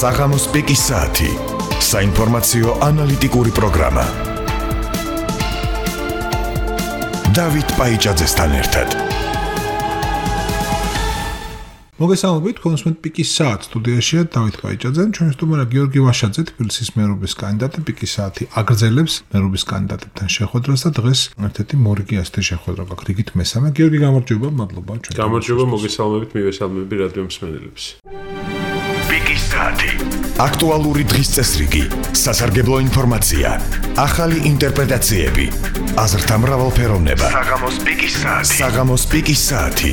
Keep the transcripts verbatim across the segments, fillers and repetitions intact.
საღამოს პიკის საათი. საინფორმაციო ანალიტიკური პროგრამა. დავით პაიჭაძესთან ერთად. მოგესალმებით, კონსუმენტ პიკის საათი სტუდიაშია დავით პაიჭაძე, ჩვენი სტუმარია გიორგი ვაშაძე, თბილისის მერობის კანდიდატი. პიკის საათი აგრძელებს მერობის კანდიდატებთან შეხვედრას და დღეს ერთ-ერთი მორიგი ასეთი შეხვედრა გაქვს, რიგით მესამე. გიორგი, გამარჯობა, მადლობა ჩვენ. გამარჯობა, მოგესალმებით, მივესალმები რადიო მსმენელებს. პიკის საათი. აქტუალური დღის წესრიგი, სასარგებლო ინფორმაცია, ახალი ინტერპრეტაციები, აზრთა მრავალფეროვნება. საღამოს პიკის საათი. საღამოს პიკის საათი.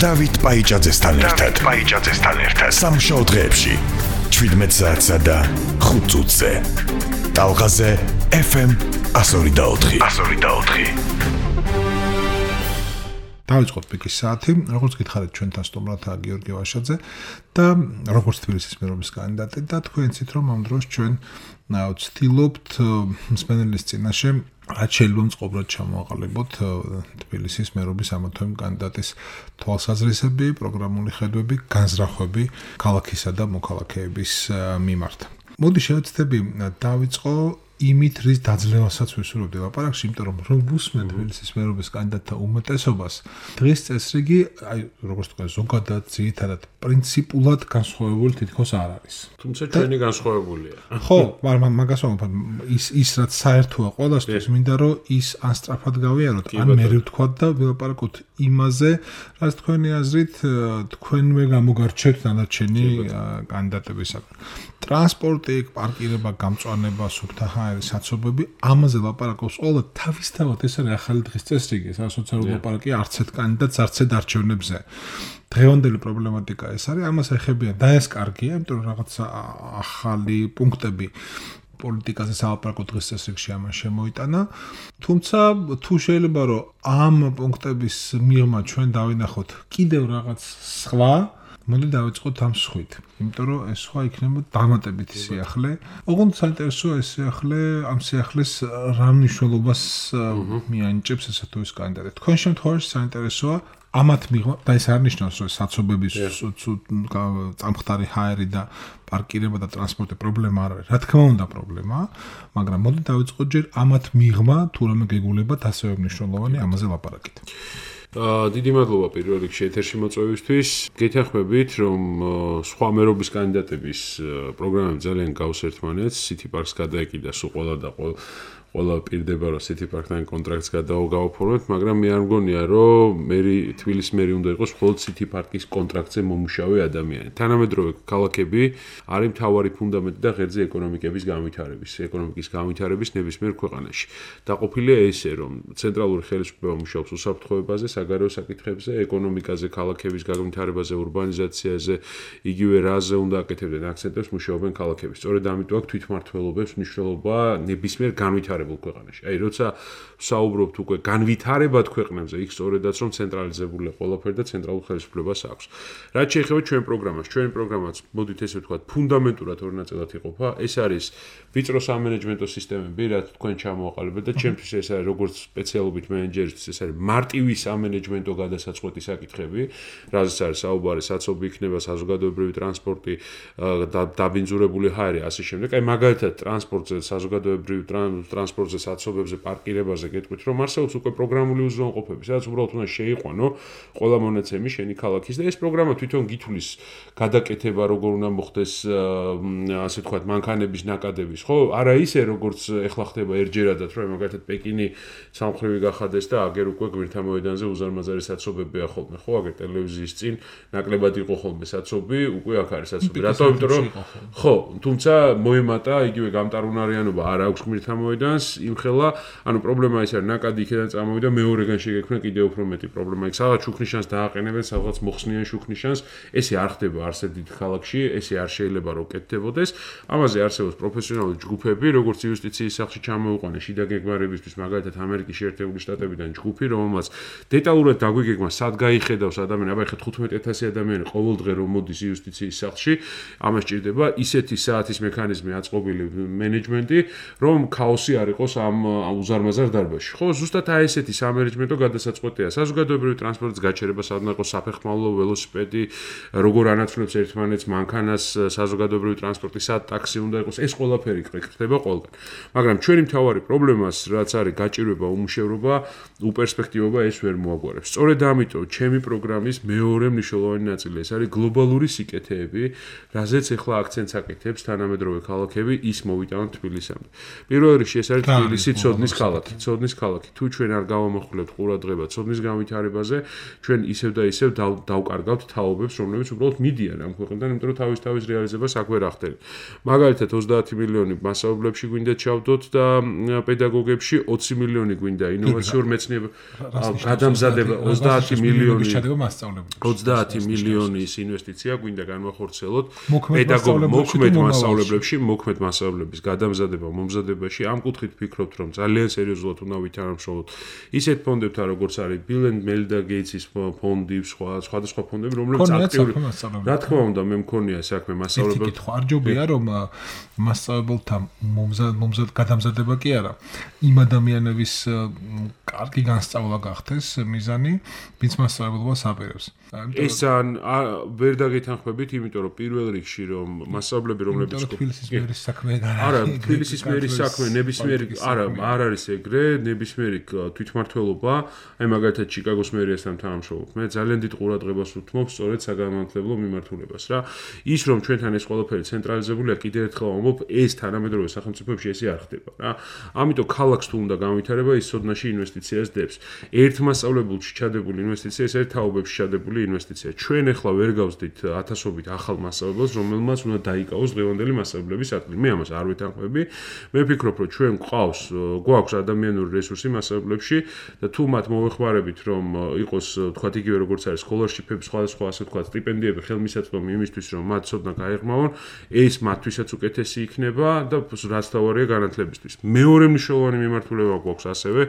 დავით პაიჭაძესთან ერთად. პაიჭაძესთან ერთად. სამშაბათ დღეებში შვიდმეტ საათსა და ხუთ წუთზე. ტალღაზე ეფ ემ εκατო ორი და ოთხი. εκατო ორი და ოთხი. დავიწყოთ პიკის საათი, როგორც გითხარით ჩვენთან სტუმრადაა გიორგი ვაშაძე და როგორც თბილისის მერობის კანდიდატი და თქვენ იცით რომ ამ დროს ჩვენ ვცდილობთ მსმენელის წინაშე რაც შეიძლება მწყობრად ჩამოაყალიბოთ თბილისის მერობის ამა თუ იმ კანდიდატის თვალსაზრისები, პროგრამული ხედვები, განზრახვები ქალაქისა და მოქალაქეების მიმართ. მოდი შევეცდები დავიწყო იმით, რის დაძლევასაც ვისურვებდი ლაპარაკში, იმიტომ რომ რომ ვუსმენ თბილისის მერობის კანდიდატთა უმეტესობას, დღის წესრიგი, აი, როგორც თქვა, ზოგადად, ძირითადად, პრინციპულად განსხვავებული თითქოს არ არის. თუმცა ჩვენი განსხვავებულია. ხო, მაგრამ მაგას ვამბობ, ის ის რაც საერთოა ყველასთვის, მინდა რომ ის ან სწრაფად გავიაროთ, ან მე ვთქვათ და ვილაპარაკოთ იმაზე, რაც თქვენი აზრით თქვენვე გამოგარჩევთ დანარჩენი კანდიდატებისაგან. ტრანსპორტი, პარკირება, გამწვანება, სუფთა ჰაერის საცობები, ამაზე ლაპარაკობს ყველა თავისთავად ეს არის ახალი დღის წესრიგი, სოციალური ლაპარაკი არც ერთ კანდიდატს, არც ერთ არჩევნებზე. დღევანდელი პრობლემატიკა ეს არის, ამას ეხებიან და ეს კარგია, იმიტომ რომ რაღაც ახალი პუნქტები პოლიტიკაზე სალაპარაკო დღის წესრიგში ამას შემოიტანა. თუმცა თუ შეიძლება რომ ამ პუნქტების მიღმა ჩვენ დავინახოთ კიდევ რაღაც სხვა, მოდი დავიწყოთ ამ სხვით, იმიტომ რომ ეს სხვა იქნება დამატებითი სიახლე. ოღონდ საინტერესოა ეს სიახლე, ამ სიახლეს რა მნიშვნელობას მიანიჭებს ესა თუ ის კანდიდატი. თქვენ შემთხვევაში საინტერესოა ამათ მიღმა და ეს არ ნიშნავს რომ საცობების წამხდარი ჰაერი და პარკირება და ტრანსპორტი პრობლემა არ არის. რა თქმა უნდა პრობლემაა, მაგრამ მოდი დავიწყოთ ჯერ ამათ მიღმა თუ რამე გეგულებათ ასევე მნიშვნელოვანი ამაზე ლაპარაკით. დიდი მადლობა პირველ რიგში ეთერში მოწვევისთვის. გეთანხმებით, რომ სხვა მერობის კანდიდატების პროგრამები ძალიან გავს ერთმანეთს. City Parks გადაეკიდა სულ ყველა და ყველა ყველა პირდება რომ City Park-თან კონტრაქტს გადაავფორმოთ, მაგრამ მე არ მგონია რომ მერი თბილისის მერი უნდა იყოს მხოლოდ City Park-ის კონტრაქტზე მომუშავე ადამიანი. თანამედროვე ქალაქები არის მთავარი ფუნდამენტი და ღერძი ეკონომიკების განვითარების, ეკონომიკის განვითარების ნებისმიერ ქვეყანაში. დაყოფილია ესე, რომ ცენტრალური ხელისუფლება მუშაობს უსაფრთხოებაზე, საგარეო საკითხებზე, ეკონომიკაზე, ქალაქების განვითარებაზე, ურბანიზაციაზე, იგივე რაზე უნდა აკეთებდნენ აქცენტებს მუშაობენ ქალაქები. სწორედ ამიტომ აქ თვითმმართველობებს მნიშვნელობა ნებისმიერ განვითარებაში ქვეყანაში. აი, როცა საუბრობთ უკვე განვითარებად ქვეყნებზე, იქ სწორედაც რომ ცენტრალიზებულია ყველაფერი და ცენტრალურ ხელისუფლებას აქვს. რაც შეეხება ჩვენ პროგრამას, ჩვენი პროგრამაც, მოდით ესე ვთქვათ, ფუნდამენტურად ორი ნაწილად იყოფა. ეს არის ვიწრო სამენეჯმენტო სისტემები, რაც თქვენ ჩამოაყალიბეთ და ჩემთვის ეს არის როგორც სპეციალობით მენეჯერისთვის, ეს არის მარტივი სამენეჯმენტო გადასაწყვეტი საკითხები, რაზეც არის საუბარი, საცობი იქნება, საზოგადოებრივი ტრანსპორტი, დაბინძურებული ჰაერი, ასე შემდეგ. აი, მაგალითად, ტრანსპორტზე, საზოგადოებრივი ტრანსპორტზე, საცობებზე, პარკირებაზე გეტყვით, რომ არსებობს უკვე პროგრამული უზრუნველყოფები, სადაც უბრალოდ უნდა შეიყვანო ყველა მონაცემი შენი ქალაქის და ეს პროგრამა თვითონ გითვლის გადაკეთება, როგორ უნდა მოხდეს, ასე ვთქვათ, მანქანების ნაკადების, ხო? არა ისე, როგორც ეხლა ხდება ერთჯერადად, რომ მაგალითად პეკინი სამხრივი გახადეს და აგერ უკვე გვერდთა მოედანზე უზარმაზარი საცობებია ხოლმე, ხო? აგერ ტელევიზიის წინ ნაკლებად იყო ხოლმე საცობი, უკვე აქ არის საცობი. რატო? იმიტომ რომ ხო, თუმცა მოემატა იგივე გამტარუნარიანობა არ აქვს ღმერთთა მოედანს, იმხელა, ანუ პრობლემა ის არის, ნაკადი იქიდან წამოვიდა, მეორეგან შეგექმნა კიდევ უფრო მეტი პრობლემა. იქ სადღაც შუქნიშანს დააყენებენ, სადღაც მოხსნიან შუქნიშანს, ესე არ ხდება არსად დიდ ქალაქში, ესე არ შეიძლება რომ კეთდებოდეს. ამაზე არსებობს პროფესიონალური ჯგუფები, როგორც იუსტიციის სახლში ჩამოუყვანე შიდა გეგმარებისთვის, მაგალითად ამერიკის შეერთებული შტატებიდან ჯგუფი, რომელმაც დეტალურად დაგვიგეგმა, სად გაიხედავს ადამიანი, აბა ეხლა თხუთმეტ ათასი ადამიანი ყოველდღე რომ მოდის იუსტიციის სახლში, ამას ჭირდება ისეთი საათის მექანიზმი აწყობილი მენეჯმენტი, რომ ქაოსი არ იყოს ამ უზარმაზარ დარბაზში. ხო, ზუსტად აი ესეთი სამენეჯმენტო გადასაწყვეტია. საზოგადოებრივი ტრანსპორტის გაჩერება, სადაც იყოს საფეხმავლო, ველოსიპედი, როგორ ანაცვლებს ერთმანეთს მანქანას, საზოგადოებრივი ტრანსპორტი, სად ტაქსი უნდა იყოს, ეს ყველაფერი ხდება ყველგან. მაგრამ ჩვენი მთავარი პრობლემას, რაც არის გაჭირვება, უმუშევრობა, უპერსპექტივობა ეს ვერ მოაგვარებს. სწორედ ამიტომ ჩემი პროგრამის მეორე მნიშვნელოვანი ნაწილი ეს არის გლობალური სიკეთეები, რაზეც ახლა აქცენტს აკეთებს თანამედროვე ქალაქები ის მოვიტანოთ თბილისამდე. პირველ რიგში ეს არის თბილისი ცოდნის ქალაქი, ცოდნის ქალაქი. თუ ჩვენ არ გავამახვილებთ ყურადღება ცოდნის განვითარებაზე, ჩვენ ისევ და ისევ დავკარგავთ თაობებს, რომლებიც უბრალოდ მიდიან ამ ქვეყნიდან, იმიტომ რომ თავის თავის რეალიზებას აქ ვერ ახდენთ. მაგალითად ოცდაათი მილიონი მასწავლებლებში გვინდა ჩავდოთ და პედაგოგებში ოცი მილიონი გვინდა ინოვაციურ მეცნიერებათა გადამზადება ოცდაათი მილიონი ოცდაათი მილიონის ინვესტიცია გვინდა განვახორციელოთ პედაგოგ მოქმედ მასწავლებლებში, მოქმედ მასწავლებლების გადამზადება, მომზადებაში. ამ კუთხით ვფიქრობთ, რომ ძალიან სერიოზულად უნდა ვითანამშრომლოთ ისეთ ფონდებთან, როგორც არის Bill and Melinda Gates-ის ფონდი, სხვა სხვადასხვა ფონდები, რომლებიც აქტიური. რა თქმა უნდა, მე მქონია საქმე მასწავლებელთან. კითხვა არ ჯობია, რომ მასწავლებელთა მომზად გადამზადება კი არა, იმ ადამიანების კარგი განსწავლა გახდეს მიზანი, ვინც მასწავლებლობას აპირებს. ეს ან ვერ დაგეთანხმებით, იმიტომ რომ პირველ რიგში რომ მასწავლებლები, რომლებიც თბილისის მერის საქმე არა, თბილისის მერის საქმე ნებისმიერი არა, არ არის ეგრე, ნებისმიერი თვითმმართველობა, აი მაგალითად ჩიკაგოს მერიასთან თანამშრომლობ. მე ძალიან დიდ ყურადღებას ვუთმობ სწორედ საგანმანათლებლო მიმართულებას რა. ის რომ ჩვენთან ეს ყველაფერი ცენტრალიზებულია, კიდევ ერთხელ ვამბობ, ეს თანამედროვე სახელმწიფოებში ესე არ ხდება რა. ამიტომ ქალაქს თუ უნდა განვითარება, ის სოდნაში ინვესტიციას დებს. ერთ მასწავლებელში ჩადებული ინვესტიცია, ეს არის თაობებში ჩადებული ინვესტიცია. ჩვენ ახლა ვერ გავსდით ათასობით ახალ მასწავლებელს, რომელმაც უნდა დაიკავოს დღევანდელი მასწავლებლების ათლი. მე ამას არ ვეთანხმები. მე ვფიქრობ, რომ ჩვენ გვყავს, გვაქვს ადამიანური რესურსი მასწავლებლებში და თუ მათ მოვეხმარებით, რომ იყოს, თქვათ, იგივე როგორც არის სკოლარშიპები, სხვადასხვა ასე თქვათ, სტიპენდიები, ხელმისაწვდომი იმისთვის, რომ მათ ცოდნა გაეღმავონ, ეს მათთვისაც უკეთესი იქნება და რაც თავარია განათლებისთვის. მეორე მნიშვნელოვანი მიმართულება გვაქვს ასევე,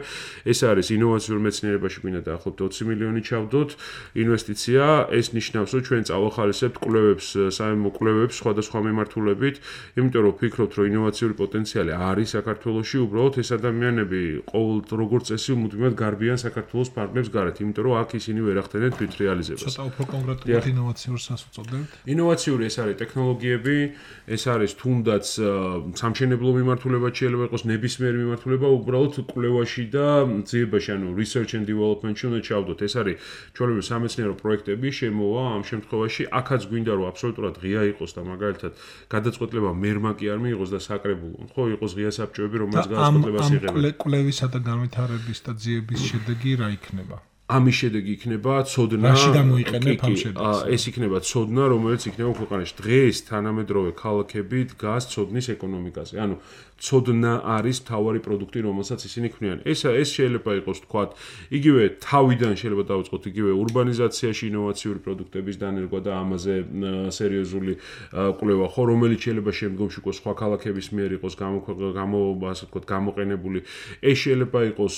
ეს არის ინოვაციურ მეცნიერებაში გვინდა დაახლოებით ოცი მილიონი ჩავდოთ ინვესტიცია. ეს ნიშნავს, რომ ჩვენ წავახალისებთ კვლევებს, საერთო კვლევებს სხვადასხვა მიმართულებით, იმიტომ რომ ვფიქრობთ, რომ ინოვაციური პოტენციალი არის საქართველოში, უბრალოდ ეს ადამიანები ყოველ როგორც წესი მუდმივად გარბიან საქართველოს ფარგლებს გარეთ, იმიტომ რომ აქ ისინი ვერ ახდენენ თვით რეალიზებას. ცოტა უფრო კონკრეტულად ინოვაციურს უწოდებთ? ინოვაციური ეს არის ტექნოლოგიები, ეს არის თუნდაც სამშენებლო მიმართულება შეიძლება იყოს ნებისმიერი მიმართულება, უბრალოდ კვლევაში და ძიებაში, ანუ research and development-ში უნდა ჩავდოთ. ეს არის ჩვეულებრივი სამეცნიერო პროექტები, შემოვა ამ შემთხვევაში აქაც გვინდა რომ აბსოლუტურად ღია იყოს და მაგალითად გადაწყვეტილება მერმა კი არ მიიღოს და საკრებულო, ხო, იყოს ღია საბჭოები, რომელსაც გადაწყვეტილებას იღებენ. ამ კვლევისა და განვითარების და ძიების შედეგი რა იქნება? ამის შედეგი იქნება ცოდნა. რაში გამოიყენებ ამ შედეგს? ეს იქნება ცოდნა, რომელიც იქნება ქვეყანაში. დღეს თანამედროვე ქალაქები დგას ცოდნის ეკონომიკაზე. ანუ ცოდნა არის მთავარი პროდუქტი, რომელსაც ისინი ქმნიან. ეს ეს შეიძლება იყოს, თქვათ, იგივე თავიდან შეიძლება დავიწყოთ იგივე ურბანიზაციაში ინოვაციური პროდუქტების დანერგვა და ამაზე სერიოზული კვლევა, ხო, რომელიც შეიძლება შემდგომში იყოს სხვა ქალაქების მიერ იყოს გამო, ასე ვთქვათ, გამოყენებული. ეს შეიძლება იყოს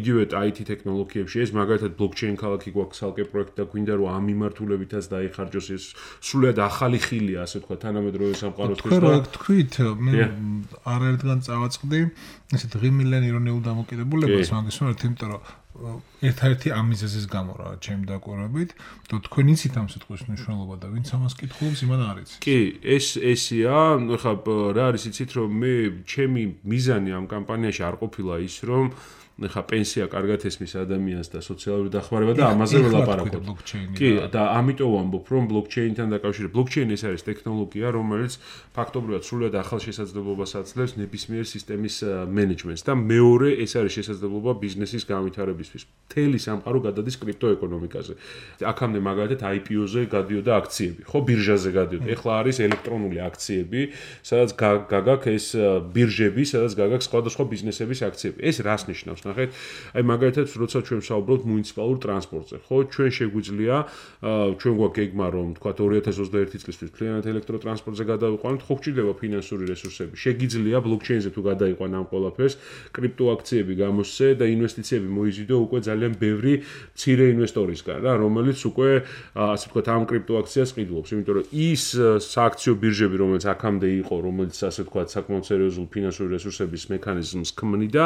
იგივე აი თი ტექნოლოგიებში, ეს მაგალითად blockchain ქალაქი გვაქვს ალკე პროექტი და გვინდა რომ ამ მიმართულებითაც დაიხარჯოს ეს სულად ახალი ხილია, ასე ვთქვათ, თანამედროვე სამყაროსთვის. თქვენ რა თქვით, მე არაერთგან წავაწყდი ესეთ ღიმილიანი ეროვნულ დამოკიდებულებას, მაგის ვართ, იმიტომ რომ ერთ-ერთი ამ მიზეზის გამო რა, ჩემი დაკვირვებით, და თქვენ იცით ამ სიტყვის მნიშვნელობა და ვინც ამას კითხულობს, იმან არ იცის. კი, ეს ესია, ხა რა არის იცით, რომ მე ჩემი მიზანი ამ კამპანიაში არ ყოფილა ის, რომ ხა პენსია კარგად ესმის ადამიანს და სოციალური დახმარება და ამაზე ველაპარაკობ. კი, და ამიტომ ვამბობ, რომ ბლოკჩეინთან დაკავშირებით, ბლოკჩეინი ეს არის ტექნოლოგია, რომელიც ფაქტობრივად სრულად ახალ შესაძლებლობას აძლევს ნებისმიერ სისტემის მენეჯმენტს და მეორე ეს არის შესაძლებლობა ბიზნესის განვითარებისთვის. მთელი სამყარო გადადის კრიპტოეკონომიკაზე. აქამდე მაგალითად აი პი ო-ზე გადიოდა აქციები, ხო, ბირჟაზე გადიოდა. ეხლა არის ელექტრონული აქციები, სადაც გაგაქვს ეს ბირჟები, სადაც გაგაქვს სხვადასხვა ბიზნესების აქციები. ეს რას ნიშნავს? ნახეთ, აი მაგალითად, როცა ჩვენ ვსაუბრობთ მუნიციპალურ ტრანსპორტზე, ხო, ჩვენ შეგვიძლია, ჩვენ გვაქვს გეგმა, რომ თქვათ ორი ათას ოცდაერთი წლისთვის მთლიანად ელექტროტრანსპორტზე გადავიყვანოთ, ხო გვჭირდება ფინანსური რესურსები. შეგიძლია ბლოკჩეინზე თუ გადაიყვან ამ ყველაფერს, კრიპტოაქციები გამოსცე და ინვესტიციები მოიზიდო მიგვიდა უკვე ძალიან ბევრი მცირე ინვესტორისგან რა, რომელიც უკვე ასე ვთქვათ ამ კრიპტოაქციას ყიდულობს, იმიტომ რომ ის სააქციო ბირჟები, რომელიც აქამდე იყო, რომელიც ასე ვთქვათ საკმაოდ სერიოზულ ფინანსური რესურსების მექანიზმს ქმნიდა,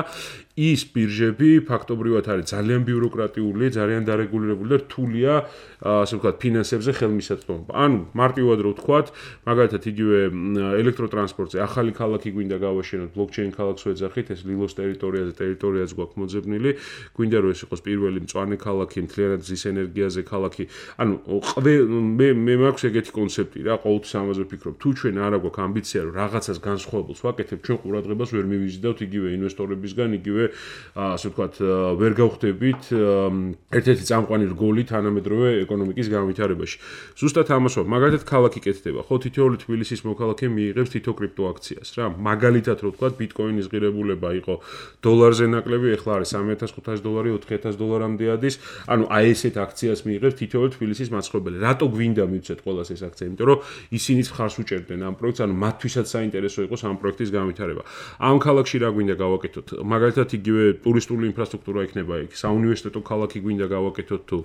ის ბირჟები ფაქტობრივად არის ძალიან ბიუროკრატიული, ძალიან დარეგულირებული და რთულია ასე ვთქვათ ფინანსებზე ხელმისაწვდომობა. ანუ მარტივად რო ვთქვათ, მაგალითად იგივე ელექტროტრანსპორტზე ახალი ქალაქი გვინდა გავაშენოთ, ბლოკჩეინ ქალაქს ვეძახით, ეს ლილოს ტერიტორიაზე ტერიტორიაც გვაქვს მოძებნილი, გვინდა რომ ეს იყოს პირველი მწვანე ქალაქი, მთლიანად მზის ენერგიაზე ქალაქი. ანუ მე მე მაქვს ეგეთი კონცეფტი რა, ყოველთვის ამაზე ვფიქრობ. თუ ჩვენ არ აგვაქვს ამბიცია რომ რაღაცას განსხვავებულს ვაკეთებთ, ჩვენ ყურადღებას ვერ მივიზიდავთ იგივე ინვესტორებისგან, იგივე ასე ვთქვათ, ვერ გავხდებით ერთ-ერთი წამყვანი რგოლი თანამედროვე ეკონომიკის განვითარებაში. ზუსტად ამას ვარ, მაგალითად ქალაქი კეთდება, ხო, თითოეული თბილისის მოქალაქე მიიღებს თითო კრიპტოაქციას რა. მაგალითად რო ვთქვათ, ბიტკოინის ღირებულება იყო დოლარზე ნაკლები, ეხლა არის სამი ათას ხუთასი დოლარი, ოთხი ათას დოლარამდე ადის. ანუ აი ესეთ აქციას მიიღებს თითოეული თბილისის მაცხოვრებელი. რატო გვინდა მივცეთ ყველას ეს აქცია? იმიტომ რომ ისინიც ხარს უჭერდნენ ამ პროექტს, ანუ მათთვისაც საინტერესო იყოს ამ პროექტის განვითარება. ამ ქალაქში რა გვინდა გავაკეთოთ? მაგალითად იგივე ტურისტული ინფრასტრუქტურა იქნება იქ, საუნივერსიტეტო ქალაქი გვინდა გავაკეთოთ თუ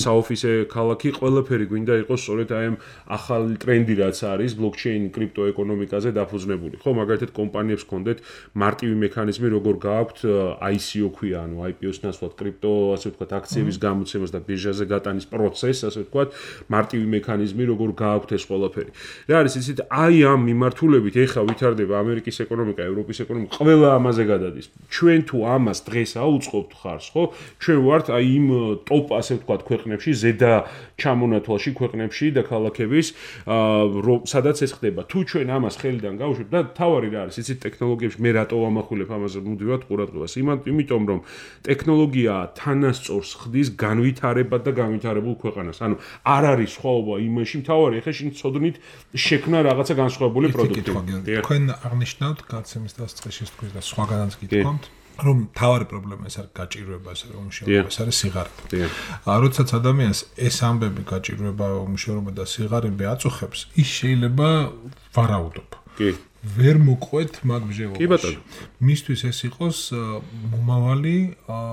საოფისე ქალაქი, ყველაფერი გვინდა იყოს სწორედ აი ამ ახალი ტრენდი რაც არის ბლოკჩეინ კრიპტოეკონომიკაზე დაფუძნებული. ხო, მაგალითად კომპანიებს ჰქონდეთ მარტივი მექანიზმი, როგორ გააქვთ I C O ქვია, ანუ I P O-ს ნაცვლად კრიპტო, ასე ვთქვათ, აქციების გამოცემას და ბირჟაზე გატანის პროცესს, ასე ვთქვათ, მარტივი მექანიზმი, როგორ გააქვთ ეს ყველაფერი. რა არის იცით, აი ამ მიმართულებით ეხა ვითარდება ამერიკის ეკონომიკა, ევროპის ეკონომიკა, ყველა ამაზე გადადის. ჩვენ თუ ამას დღეს აუწყობთ ხარს, ხო? ჩვენ ვართ აი იმ ტოპ, ასე ვთქვათ, ქვეყნებში, ზედა ჩამონათვალში ქვეყნებში და ქალაქების, სადაც ეს ხდება. თუ ჩვენ ამას ხელიდან გავუშვებთ და თავარი რა არის, იცით, ტექნოლოგიებში მე რატო ვამახვილებ ამაზე მუდმივად ყურადღებას? იმიტომ რომ ტექნოლოგია თანასწორს ხდის განვითარებად და განვითარებულ ქვეყანას. ანუ არ არის სხვაობა იმაში, თავარი ეხლა შენ ცოდნით შექმნა რაღაცა განსხვავებული პროდუქტი. თქვენ აღნიშნავთ გაცემის დასაწყისში თქვენ და სხვაგანაც გითხოვთ, რომ თავარი პრობლემა ეს არის გაჭირვება, ეს არის უმუშევრობა, ეს არის სიღარიბე. როდესაც ადამიანს ეს ამბები გაჭირვება, უმუშევრობა და სიღარიბე აწუხებს, ის შეიძლება ვარაუდობ. კი. ვერ მოყვეთ მაგ ბჟევობაში. მისთვის ეს იყოს მომავალი,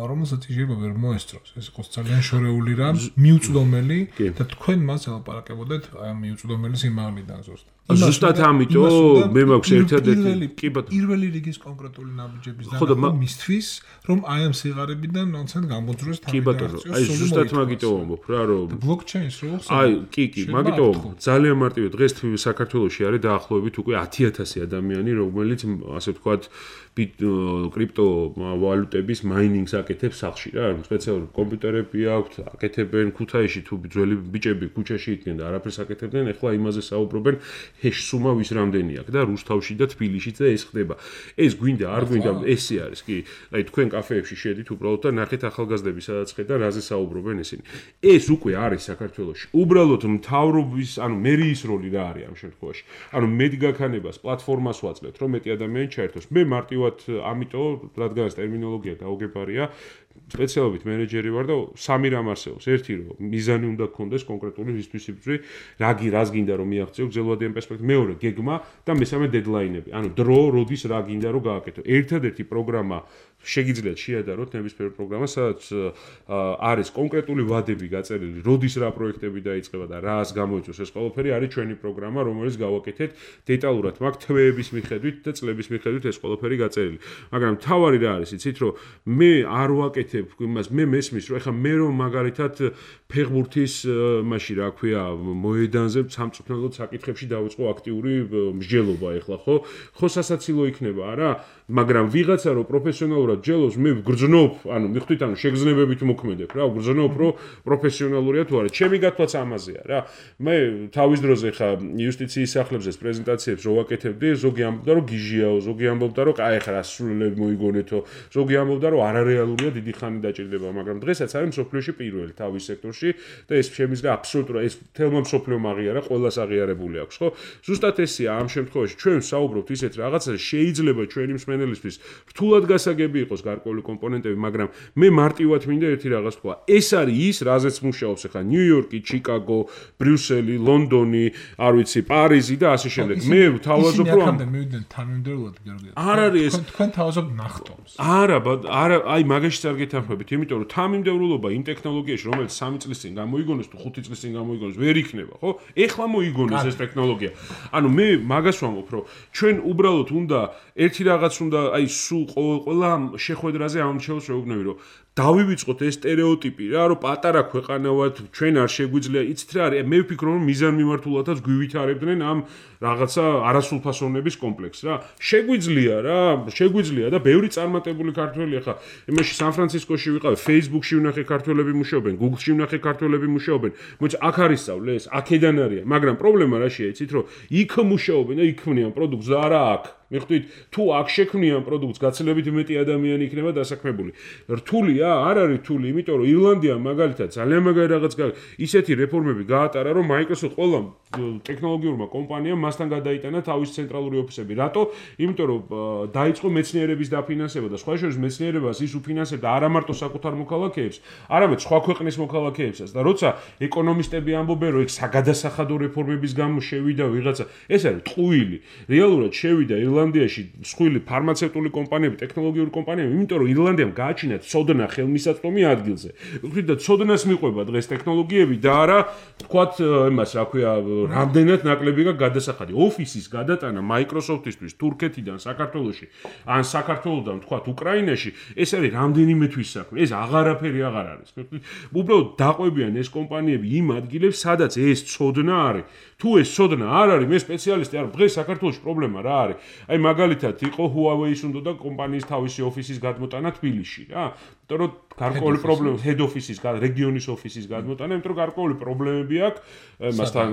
რომელსაც შეიძლება ვერ მოესწროს. ეს იყოს ძალიან შორეული რამ, მიუწვდომელი და თქვენ მას ელაპარაკებოდეთ აი ამ მიუწვდომელი სიმაღლიდან ზუსტად. ზუსტად ამიტომ მე მაქვს ერთადერთი კი ბატონო პირველი რიგის კონკრეტული ნაბიჯების დანახვა მისთვის, რომ აი ამ სიღარიბიდან ნონცენტ გამოძროს თავი. კი ბატონო, აი ზუსტად მაგიტო ვამბობ რა, რომ ბლოკჩეინს რო ხსოვთ. აი, კი, კი, მაგიტო ძალიან მარტივია. დღეს საქართველოში არის დაახლოებით უკვე ათი ათასი ადამიანი, რომელიც ასე ვთქვათ, კრიპტო ვალუტების მაინინგს აკეთებს სახლში რა, სპეციალური კომპიუტერები აქვთ, აკეთებენ ქუთაისში თუ ძველი ბიჭები ქუჩაში იდგნენ და არაფერს აკეთებდნენ, ეხლა იმაზე საუბრობენ ჰეშ სუმა ვის რამდენი აქვს და რუსთავში და თბილისშიც და ეს ხდება. ეს გვინდა, არ გვინდა, ესე არის, კი. აი თქვენ კაფეებში შედით უბრალოდ და ნახეთ ახალგაზრდები სადაც ხედავ, რაზე საუბრობენ ისინი. ეს უკვე არის საქართველოში. უბრალოდ მთავრობის, ანუ მერიის როლი რა არის ამ შემთხვევაში? ანუ მედგაქანებას, პლატფორმას ვაძლევთ, რომ მეტი ადამიანი ჩაერთოს. მე მარტივად ამიტომ, რადგან ეს ტერმინოლოგია გაუგებარია, სპეციალობით მენეჯერი ვარ და სამი რამ არსებობს. ერთი რომ მიზანი უნდა გქონდეს კონკრეტული რისთვისიბრძვი, რაგი რას გინდა რომ მიაღწიო გრძელვადიან პერსპექტივაში. მეორე გეგმა და მესამე დედლაინები. ანუ დრო, როდის რა გინდა რომ გააკეთო. ერთადერთი პროგრამა შეგიძლიათ შეადაროთ ნებისმიერ პროგრამას, სადაც არის კონკრეტული ვადები გაწერილი, როდის რა პროექტები დაიწყება და რას გამოიწვევს ეს ყველაფერი, არის ჩვენი პროგრამა, რომელიც გავაკეთეთ დეტალურად, მაგ თვეების მიხედვით და წლების მიხედვით ეს ყველაფერი გაწერილი. მაგრამ თავარი რა არის, იცით, რომ მე არ ვაკეთებ იმას, მე მესმის, რომ ეხლა მე რომ მაგალითად ფეხბურთის მაში რა ქვია, მოედანზე სამწუხაროდ საკითხებში დავიწყო აქტიური მსჯელობა ეხლა, ხო? ხო სასაცილო იქნება, არა? მაგრამ ვიღაცა რო პროფესიონალურად ჯელოს, მე ვგრძნობ, ანუ მიხვდით, ანუ შეგრძნებებით მოქმედებ რა, ვგრძნობ, რომ პროფესიონალურია თუ არა. ჩემი გათვლაც ამაზეა რა. მე თავის დროზე ხა იუსტიციის სახლებზე პრეზენტაციებს რო ვაკეთებდი, ზოგი ამბობდა, რომ გიჟიაო, ზოგი ამბობდა, რომ აი ხა სრულები მოიგონეთო, ზოგი ამბობდა, რომ არარეალურია, დიდი ხანი დაჭირდება, მაგრამ დღესაც არის მსოფლიოში პირველი თავის სექტორში და ეს შემიძლია აბსოლუტურად ეს თელმა მსოფლიო აღიარა, ყველას აღიარებული აქვს, ხო? ზუსტად ესეა ამ შემთხვევაში ჩვენ საუბრობთ ისეთ რაღაცაზე, შეიძლება ჩვენი მსმენელისთვის რთულად გასაგები იყოს გარკვეული კომპონენტები, მაგრამ მე მარტივად მინდა ერთი რაღაც თქვა. ეს არის ის, რაზეც მუშაობს ახლა ნიუ-იორკი, ჩიკაგო, ბრიუსელი, ლონდონი, არ ვიცი, პარიზი და ასე შემდეგ. მე თავაზობ რომ აქამდე მივიდნენ თანმიმდევრულად გიორგი. არ არის ეს თქვენ თავაზობ ნახტომს. არა, არა, აი მაგაში არ გეთანხმებით, იმიტომ რომ თანმიმდევრულობა იმ ტექნოლოგიაში, რომელიც სამი წლის წინ გამოიგონეს თუ ხუთი წლის წინ გამოიგონეს, ვერ იქნება, ხო? ეხლა მოიგონეს ეს ტექნოლოგია. ანუ მე მაგას ვამბობ, რომ ჩვენ უბრალოდ უნდა ერთი რაღაც უნდა, აი სულ ყველა შეხვედრაზე ამჩეულს შეუგნები, რომ დავივიწყოთ ეს სტერეოტიპი რა, რომ პატარა ქვეყანა ვართ, ჩვენ არ შეგვიძლია, იცით რა არის, მე ვფიქრობ, რომ მიზანმიმართულადაც გვითარებდნენ ამ რაღაცა არასრულფასოვნების კომპლექსს რა. შეგვიძლია რა, შეგვიძლია და ბევრი წარმატებული ქართველი ახლა იმაში სან-ფრანცისკოში ვიყავ, Facebook-ში ვნახე ქართველები მუშაობენ, Google-ში ვნახე ქართველები მუშაობენ. მოიცა აქ არის სწავლე ეს, აქედან არის, მაგრამ პრობლემა რაშია, იცით რომ იქ მუშაობენ და იქ ქმნიან პროდუქტს და არა აქ. მიხვდით, თუ აქ შექმნიან პროდუქტს, გაცილებით მეტი ადამიანი იქნება დასაქმებული. რთულია, არ არის რთული, იმიტომ რომ ირლანდია მაგალითად ძალიან მაგარი რაღაც ისეთი რეფორმები გაატარა, რომ Microsoft ყველა ტექნოლოგიურმა კომპანიამ მასთან გადაიტანა თავის ცენტრალური ოფისები. რატო? იმიტომ რომ დაიწყო მეცნიერების დაფინანსება და სხვა შორის მეცნიერებას ის უფინანსებდა არა მარტო საკუთარ მოქალაქეებს, არამედ სხვა ქვეყნის მოქალაქეებსაც. და როცა ეკონომისტები ამბობენ, რომ ეგ საგადასახადო რეფორმების გამო შევიდა ვიღაცა, ეს არის ტყუილი. რეალურად შევიდა ირლანდიაში მსხვილი ფარმაცევტული კომპანიები, ტექნოლოგიური კომპანიები, იმიტომ რომ ირლანდიამ გააჩინა ცოდნა ხელმისაწვდომი ადგილზე. ვთქვით და ცოდნას მიყვება დღეს ტექნოლოგიები და არა თქვათ იმას, რა ქვია, რამდენად ნაკლები გადასახადი. ოფისის გადატანა Microsoft-ისთვის თურქეთიდან საქართველოში, ან საქართველოსდან თქვათ უკრაინაში, ეს არის რამდენიმე თვის საქმე. ეს აღარაფერი აღარ არის. უბრალოდ დაყვებიან ეს კომპანიები იმ ადგილებს, სადაც ეს ცოდნა არის. თუ ეს ცოდნა არ არის, მე სპეციალისტი არ, დღეს საქართველოში პრობლემა რა არის? აი მაგალითად იყო Huawei-ის უნდა და კომპანიის თავისი ოფისის გადმოტანა თბილისში რა. იმიტომ რომ გარკვეული პრობლემა head office-ის, რეგიონის ოფისის გადმოტანა, იმიტომ რომ გარკვეული პრობლემები აქვს მასთან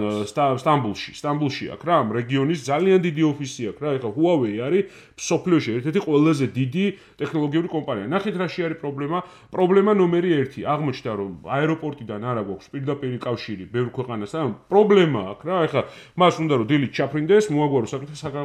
სტამბულში. სტამბულში აქვს რა, ამ რეგიონის ძალიან დიდი ოფისი აქვს რა. ეხლა Huawei არის მსოფლიოში ერთ-ერთი ყველაზე დიდი ტექნოლოგიური კომპანია. ნახეთ რაში არის პრობლემა. პრობლემა ნომერი ერთი. აღმოჩნდა რომ აეროპორტიდან არა გვაქვს პირდაპირი კავშირი ბევრ ქვეყანასთან. პრობლემა აქვს რა. ეხლა მას უნდა რომ დილით ჩაფრინდეს, მოაგვარო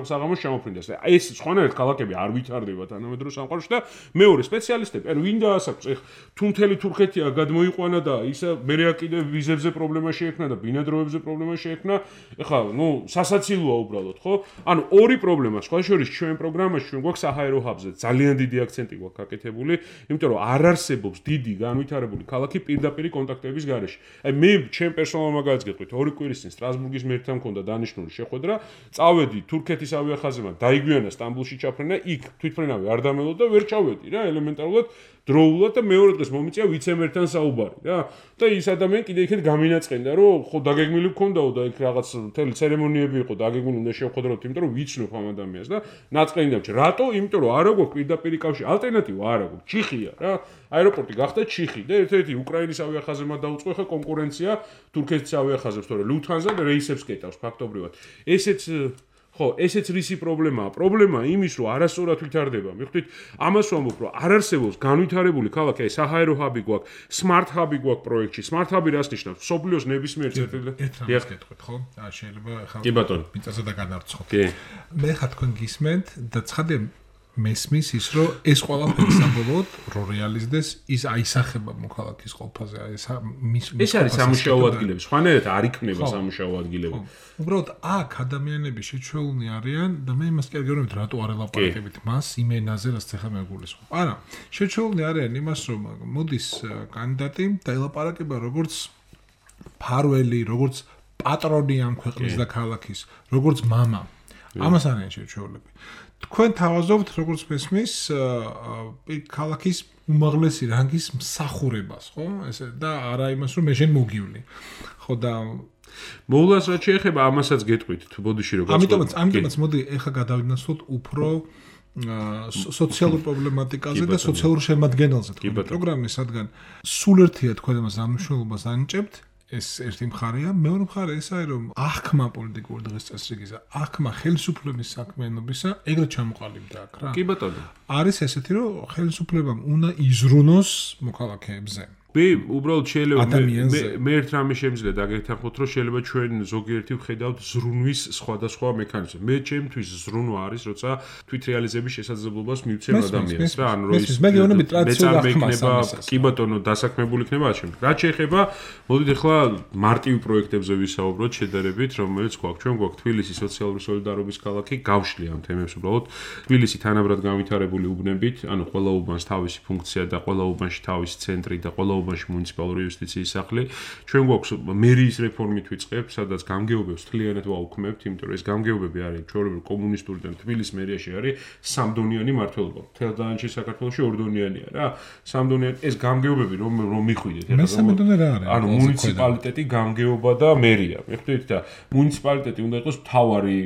საღამოს ჩამოფრინდეს. ეს სხვანაირად ქალაქები არ ვითარდება თანამედროვე სამყაროში და მეორე სპეციალისტები, ანუ ვინ დაასაქმს, ეხლა თუ მთელი თურქეთია გადმოიყვანა და ისა მერე კიდე ვიზებზე პრობლემა შეექმნა და ბინადრობებზე პრობლემა შეექმნა, ეხლა ნუ სასაცილოა უბრალოდ, ხო? ანუ ორი პრობლემა, სხვა შორის ჩვენ პროგრამაში ჩვენ გვაქვს საჰაერო ჰაბზე ძალიან დიდი აქცენტი გვაქვს გაკეთებული, იმიტომ რომ არ არსებობს დიდი განვითარებული ქალაქი პირდაპირი კონტაქტების გარეშე. აი მე ჩემ პერსონალურ მაგალითს გეტყვით, ორი კვირის წინ სტრასბურგის მერთან მქონდა დანიშნული შეხვედრა, წავედი თურქეთის ავიახაზებთან, დაიგვიანა სტამბულში ჩაფრენა, იქ თვითფრენავი არ დამელო და ვერ ჩავედი რა, ელემენტარულად დროულად და მეორე დღეს მომიწია ვიცემერთან საუბარი რა. და ის ადამიანი კიდე იქეთ გამინაწყენდა, რომ ხო დაგეგმილი მქონდაო და იქ რაღაც მთელი ცერემონიები იყო, დაგეგმილი უნდა შევხვდროთ, იმიტომ რომ ვიცნობ ამ ადამიანს და ნაწყენი დამჭი. რატო? იმიტომ რომ არა გვაქვს პირდაპირი კავშირი, ალტერნატივა არა გვაქვს. ჩიხია რა. აეროპორტი გახდა ჩიხი და ერთ-ერთი უკრაინის ავიახაზებმა დაუწყო ხა კონკურენცია თურქეთის ავიახაზებს, თორე Lufthansa რეისებს კეტავს ფაქტობრივად. ესეც ხო, ესეც რისი პრობლემაა? პრობლემაა იმის, რომ არასწორად ვითარდება. მიხვდით, ამას ვამბობ, რომ არ არსებობს განვითარებული ქალაქი, აი საჰაერო ჰაბი გვაქვს, smart hub-ი გვაქვს პროექტში. smart hub-ი რას ნიშნავს? მსოფლიოს ნებისმიერ წერტილზე. ერთ რამს გეტყვით, ხო? აა შეიძლება ხა კი ბატონო. მიწაზე და განარცხოთ. კი. მე ხა თქვენ გისმენთ და ცხადე მესმის ის, რომ ეს ყველაფერი საბოლოოდ რო რეალიზდეს, ის აისახება მოქალაქის ყოფაზე, აი ეს მის ეს არის სამუშაო ადგილები, სხვანაირად არ იქნება სამუშაო ადგილები. უბრალოდ აქ ადამიანები შეჩვეულნი არიან და მე იმას კი არ გეუბნებით, რატო არ ელაპარაკებით მას იმ ენაზე, რაც ახლა მე გულისხმობ. არა, შეჩვეულნი არიან იმას, რომ მოდის კანდიდატი და ელაპარაკება როგორც ფარველი, როგორც პატრონი ამ ქვეყნის და ქალაქის, როგორც мама. ამას არიან შეჩვეულები. თქვენ თავაზობთ როგორც მესმის ქალაქის უმაღლესი რანგის მსახურებას, ხო? ესე და არა იმას რომ მე შენ მოგივლი. ხო და მოულას რაც შეეხება ამასაც გეტყვით თუ ბოდიში რო გაწყვეტ. ამიტომაც ამიტომაც მოდი ეხა გადავინაცვლოთ უფრო სოციალურ პრობლემატიკაზე და სოციალურ შემადგენელზე თქვენი პროგრამის, რადგან სულ ერთია თქვენ ამას ამუშავებას ანიჭებთ. ეს ერთი მხარეა, მეორე მხარე ესაა, რომ აღქმა პოლიტიკური დღეს წესრიგისა, აღქმა ხელისუფლების საქმიანობისა ეგრეთ ჩამოყალიბდა აქ რა. კი ბატონო. არის ესეთი, რომ ხელისუფლებამ უნდა იზრუნოს მოქალაქეებზე. მე უბრალოდ შეიძლება მე ერთ რამე შემიძლია დაგეთანხმოთ, რომ შეიძლება ჩვენ ზოგიერთი ვხედავთ ზრუნვის სხვადასხვა მექანიზმი. მე ჩემთვის ზრუნვა არის, როცა თვითრეალიზების შესაძლებლობას მივცემ ადამიანს რა, ანუ რომ ის მე გეუბნები ტრადიციულად იქნება, კი ბატონო, დასაქმებული იქნება ამ შემთხვევაში. რაც შეეხება, მოდით ახლა მარტივ პროექტებზე ვისაუბროთ შედარებით, რომელიც გვაქვს. ჩვენ გვაქვს თბილისი სოციალური სოლიდარობის ქალაქი, გავშლი ამ თემებს უბრალოდ. თბილისი თანაბრად განვითარებული უბნებით, ანუ ყველა უბანს თავისი ფუნქცია და ყველა უბანში თავისი ცენტრი და ყველა უბანში მუნიციპალური იუსტიციის სახლი. ჩვენ გვაქვს მერიის რეფორმით ვიწყებთ, სადაც გამგეობებს თლიანად ვაუქმებთ, იმიტომ რომ ეს გამგეობები არის ჩვეულებრივ კომუნისტური და თბილისის მერიაში არის სამდონიანი მმართველობა. მთელ დანარჩენ საქართველოში ორდონიანია რა. სამდონიანი ეს გამგეობები რომ რომ მიხვიდეთ, ანუ მუნიციპალიტეტი, გამგეობა და მერია. მიხვდით და მუნიციპალიტეტი უნდა იყოს მთავარი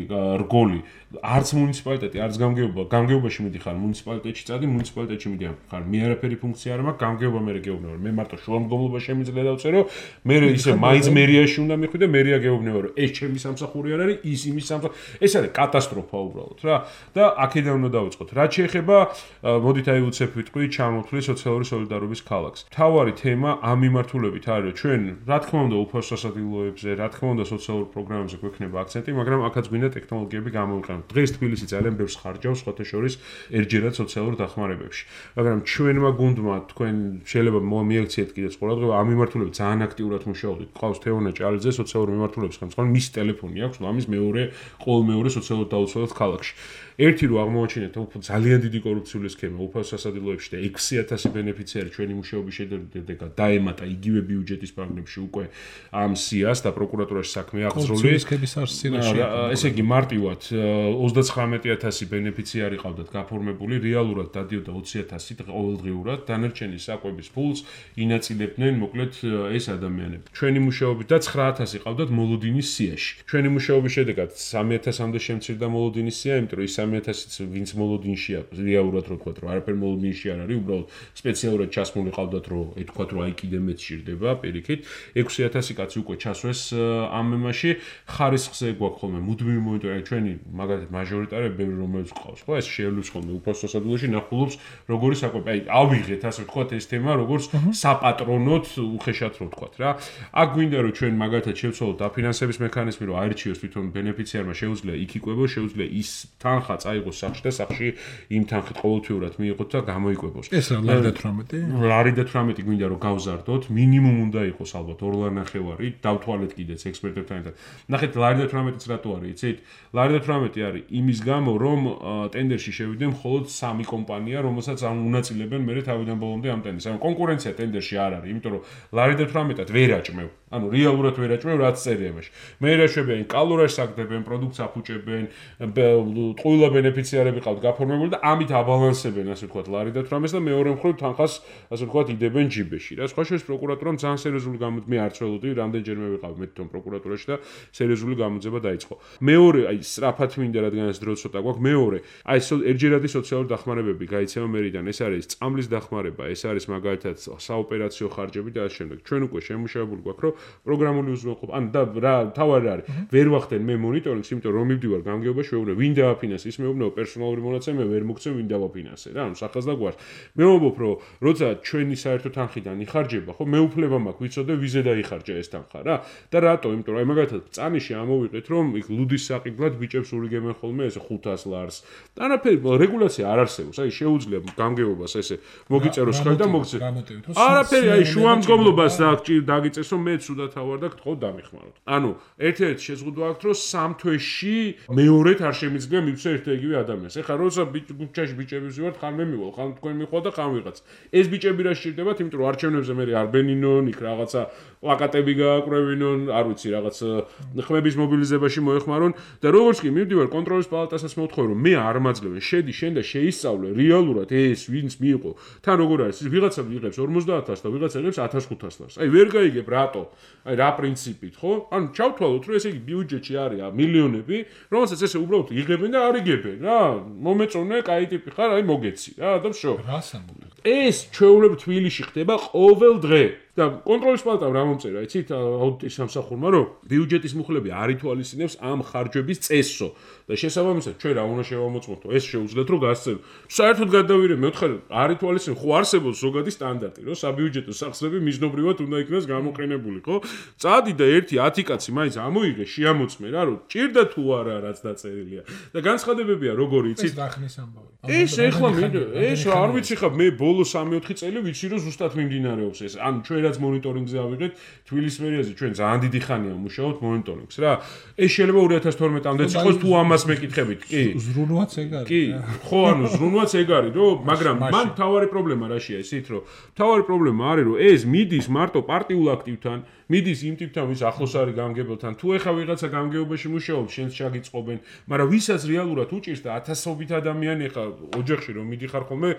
რგოლი. არც მუნიციპალიტეტი, არც გამგეობა, გამგეობაში მიდიხარ მუნიციპალიტეტში წადი, მუნიციპალიტეტში მიდიხარ. მე არაფერი ფუნქცია არ მაქვს, გამგეობა მე გეუბნები. მე მარტო შუამდგომლობა შემიძლია დავწერო, მე ისე მაინც მერიაში უნდა მიხვიდე, მერია გეუბნები, რომ ეს ჩემი სამსახური არ არის, ის იმის სამსახური. ეს არის კატასტროფა უბრალოდ რა. და აქედან უნდა დავიწყოთ. რაც შეეხება, მოდით აი უცებ ვიტყვი, ჩამოთვლი სოციალური სოლიდარობის ქალაქს. მთავარი თემა ამ მიმართულებით არის, რომ ჩვენ, რა თქმა უნდა, უფასო სასადილოებზე, რა თქმა უნდა, სოციალურ პროგრამებზე გვექნება აქცენტი, მაგრამ აქაც გვინდა ტექნოლოგიები გამოვიყენოთ. დღეს თბილისი ძალიან ბევრს ხარჯავს სხვათა შორის ერთჯერად სოციალურ დახმარებებში. მაგრამ ჩვენმა გუნდმა თქვენ შეიძლება მიაქციეთ კიდეც ყურადღება ამ მიმართულებით ძალიან აქტიურად მუშაობთ. ყავს თეონა ჭალიძე სოციალურ მიმართულების ხელმძღვანელი, მის ტელეფონი აქვს, ამის მეორე ყოველ მეორე სოციალურ დაუცველად ქალაქში. ერთი რო აღმოაჩინეთ ძალიან დიდი კორუფციული სქემა უფასო სასადილოებში და ექვსი ათასი ბენეფიციარი ჩვენი მუშაობის შედეგად დაემატა იგივე ბიუჯეტის პროგრამებში უკვე ამ სიას და პროკურატურაში საქმე აღძრული. ესე იგი მარტივად ოცდაცხრამეტი ათასი ბენეფიციარი ყავდათ გაფორმებული, რეალურად დადიოდა ოცი ათასი ყოველდღიურად, დანარჩენი საკვების ფულს ინაწილებდნენ მოკლედ ეს ადამიანები. ჩვენი მუშაობით და ცხრა ათასი ყავდათ მოლოდინის სიაში. ჩვენი მუშაობის შედეგად სამი ათასამდე შემცირდა მოლოდინის სია, იმიტომ რომ სამი ათასიც ვინც მოლოდინშია, რეალურად რო ვთქვათ, რომ არაფერ მოლოდინში არ არის, უბრალოდ სპეციალურად ჩასმული ყავდათ, რომ ეთქვათ, რომ აი კიდე მეც შირდება პირიქით. ექვსი ათასი კაცი უკვე ჩასვეს ამ მემაში, ხარისხზე გვაქვს ხოლმე მუდმივი მონიტორინგი, ჩვენი მაგალითად მაჟორიტარები ბევრი რომელიც ყავს, ხო, ეს შეელვის ხოლმე უფასო სასადილოში ნახულობს როგორი საკვები. აი, ავიღეთ ასე ვთქვათ ეს თემა, როგორც საპატრონოთ უხეშად რო ვთქვათ რა. აქ გვინდა რომ ჩვენ მაგალითად შევცვალოთ დაფინანსების მექანიზმი, რომ აირჩიოს თვითონ ბენეფიციარმა, შეუძლია იქ იკვებოს, შეუძლია ის თანხა წაიღოს სახში და სახში იმ თანხით ყოველთვიურად მიიღოთ და გამოიკვებოს. ეს რა ლარი და თვრამეტი? ლარი და თვრამეტი გვინდა რომ გავზარდოთ, მინიმუმ უნდა იყოს ალბათ ორ ლარი ნახევარი, დავთვალეთ კიდეც ექსპერტებთან ერთად. ნახეთ ლარი და თვრამეტიც რატო არის, იცით? ლარი და თვრამეტი არის იმის გამო, რომ ტენდერში შევიდნენ მხოლოდ სამი კომპანია, რომელსაც ამ უნაწილებენ მერე თავიდან ბოლომდე ამ ტენდერს. ანუ კონკურენცია ტენდერში არ არის, იმიტომ რომ ლარი და თვრამეტად ვერ აჭმევ. ანუ რეალურად ვერ აჭმევ, რაც წერია იმაში. მე რაშებიან კალორიას აგდებენ, პროდუქტს აფუჭებენ, ყველა ბენეფიციარები ყავთ გაფორმებული და ამით აბალანსებენ, ასე ვთქვათ, ლარი და თვრამეტს და მეორე მხრივ თანხას, ასე ვთქვათ, იდებენ ჯიბეში. რა სხვა შორის პროკურატურამ ძალიან სერიოზული გამოძება, მე არ წველოდი, რამდენჯერმე ვიყავ მე თვითონ პროკურატურაში და სერიოზული გამოძება დაიწყო. მეორე, აი, სწრაფად მინდა რადგანაც დრო ცოტა გვაქვს, მეორე, აი, ერთჯერადი სოციალური დახმარებები გაიცემა მერიდან, ეს არის წამლის დახმარება, ეს არის მაგალითად საოპერაციო ხარჯები და ასე შემდეგ. ჩვენ უკვე შემუშავებული გვაქვს, რომ პროგრამული უზრუნველყოფა, ან და რა თავარი არის, ვერ ვახდენ მე მონიტორინგს, იმიტომ რომ მივდივარ გამგეობაში, ვეუბნებ, ვინ დააფინანსე, ის მეუბნებო პერსონალური მონაცემი, მე ვერ მოგცემ, ვინ დავაფინანსე რა, ანუ სახას და გვარს. მე ვამბობ, რომ როცა ჩვენი საერთო თანხიდან იხარჯება, ხო, მე უფლება მაქვს ვიცოდე ვიზე დაიხარჯა ეს თანხა რა. და რატო? იმიტომ რომ აი მაგალითად წანიში ამოვიყეთ, რომ იქ ლუდის საყიდლად ბიჭებს ურიგებენ ხოლმე ეს ხუთას ლარს. არაფერი რეგულაცია არ არსებობს. აი შეუძლია გამგეობას ესე მოგიწეროს ხელი და მოგცე. არაფერი აი შუამდგომლობას დაგიწეს, რომ მე ცუდად ავარ და გთხოვ დამიხმაროთ. ანუ ერთ-ერთი შეზღუდვა აქვს, რომ სამ თვეში მეორედ არ შემიძლია მივცე ერთ-ეგივე ადამიანს. ეხლა როცა ბიჭაში ბიჭები ვზივართ, ხან მე მივალ, ხან თქვენ მიხვა და ხან ვიღაც. ეს ბიჭები რა სჭირდებათ, იმიტომ რომ არჩევნებზე მე არ ბენინონ, იქ რაღაცა პლაკატები გააკრევინონ, არ ვიცი, რაღაც ხმების მობილიზებაში მოეხმარონ და როგორც კი მივდივარ კონტროლის პალატასაც მოვთხოვე, რომ მე არ მაძლევენ, შედი შენ და შეისწავლე რეალურად ეს ვინც მიიღო. თან როგორ არის, ვიღაცა იღებს ორმოცდაათას და ვიღაცა იღებს ათას ხუთას ლარს. აი ვერ გაიგებ რატო? აი რა პრინციპით, ხო? ანუ ჩავთვალოთ, რომ ესე იგი ბიუჯეტში არის მილიონები, რომელსაც ესე უბრალოდ იღებენ და არ იგებენ რა. მომეწონე, კაი ტიპი ხარ, აი მოგეცი რა და ვშო. რას ამბობთ? ეს ჩვეულებრივ თბილისში ხდება ყოველ დღე. და კონტროლის პალატამ რა მომწერა, იცით, აუდიტის სამსახურმა, რომ ბიუჯეტის მუხლები არ ითვალისწინებს ამ ხარჯების წესსო და შესაბამისად ჩვენ რა უნდა შევამოწმოთ, ეს შეუძლიათ რომ გასცენ. საერთოდ გადავირე, მე ვთქვი, არ ითვალისწინებს, ხო არსებობს ზოგადი სტანდარტი, რომ საბიუჯეტო სახსრები მიზნობრივად უნდა იქნას გამოყენებული, ხო? წადი და ერთი ათი კაცი მაინც ამოიღე, შეამოწმე რა, რომ ჭირდა თუ არა რაც დაწერილია. და განცხადებებია როგორი, იცით? ეს დახნის ამბავი. ეს ეხლა მე ეს არ ვიცი ხა მე ბოლო სამი ოთხი წელი ვიცი რომ ზუსტად მიმდინარეობს ეს. ან ჩვენ რაც მონიტორინგზე ავიღეთ თბილისის მერიაზე ჩვენ ძალიან დიდი ხანია მუშაობთ მონიტორინგს რა. ეს შეიძლება ორი ათას თორმეტამდეც იყოს თუ ამას მეკითხებით. კი. ზრუნვაც ეგ არის. კი. ხო, ანუ ზრუნვაც ეგ არის, რომ მაგრამ მან თავარი პრობლემა რაშია ისეთ რომ თავარი პრობლემა არის რომ ეს მიდის მარტო პარტიულ აქტივთან მიდის იმ ტიპთან ვის ახლოს არის გამგებელთან თუ ეხა ვიღაცა გამგეობაში მუშაობს შენს ჩაგიწყობენ მაგრამ ვისაც რეალურად უჭირს და ათასობით ადამიანი ეხა ოჯახში რომ მიდიხარ ხოლმე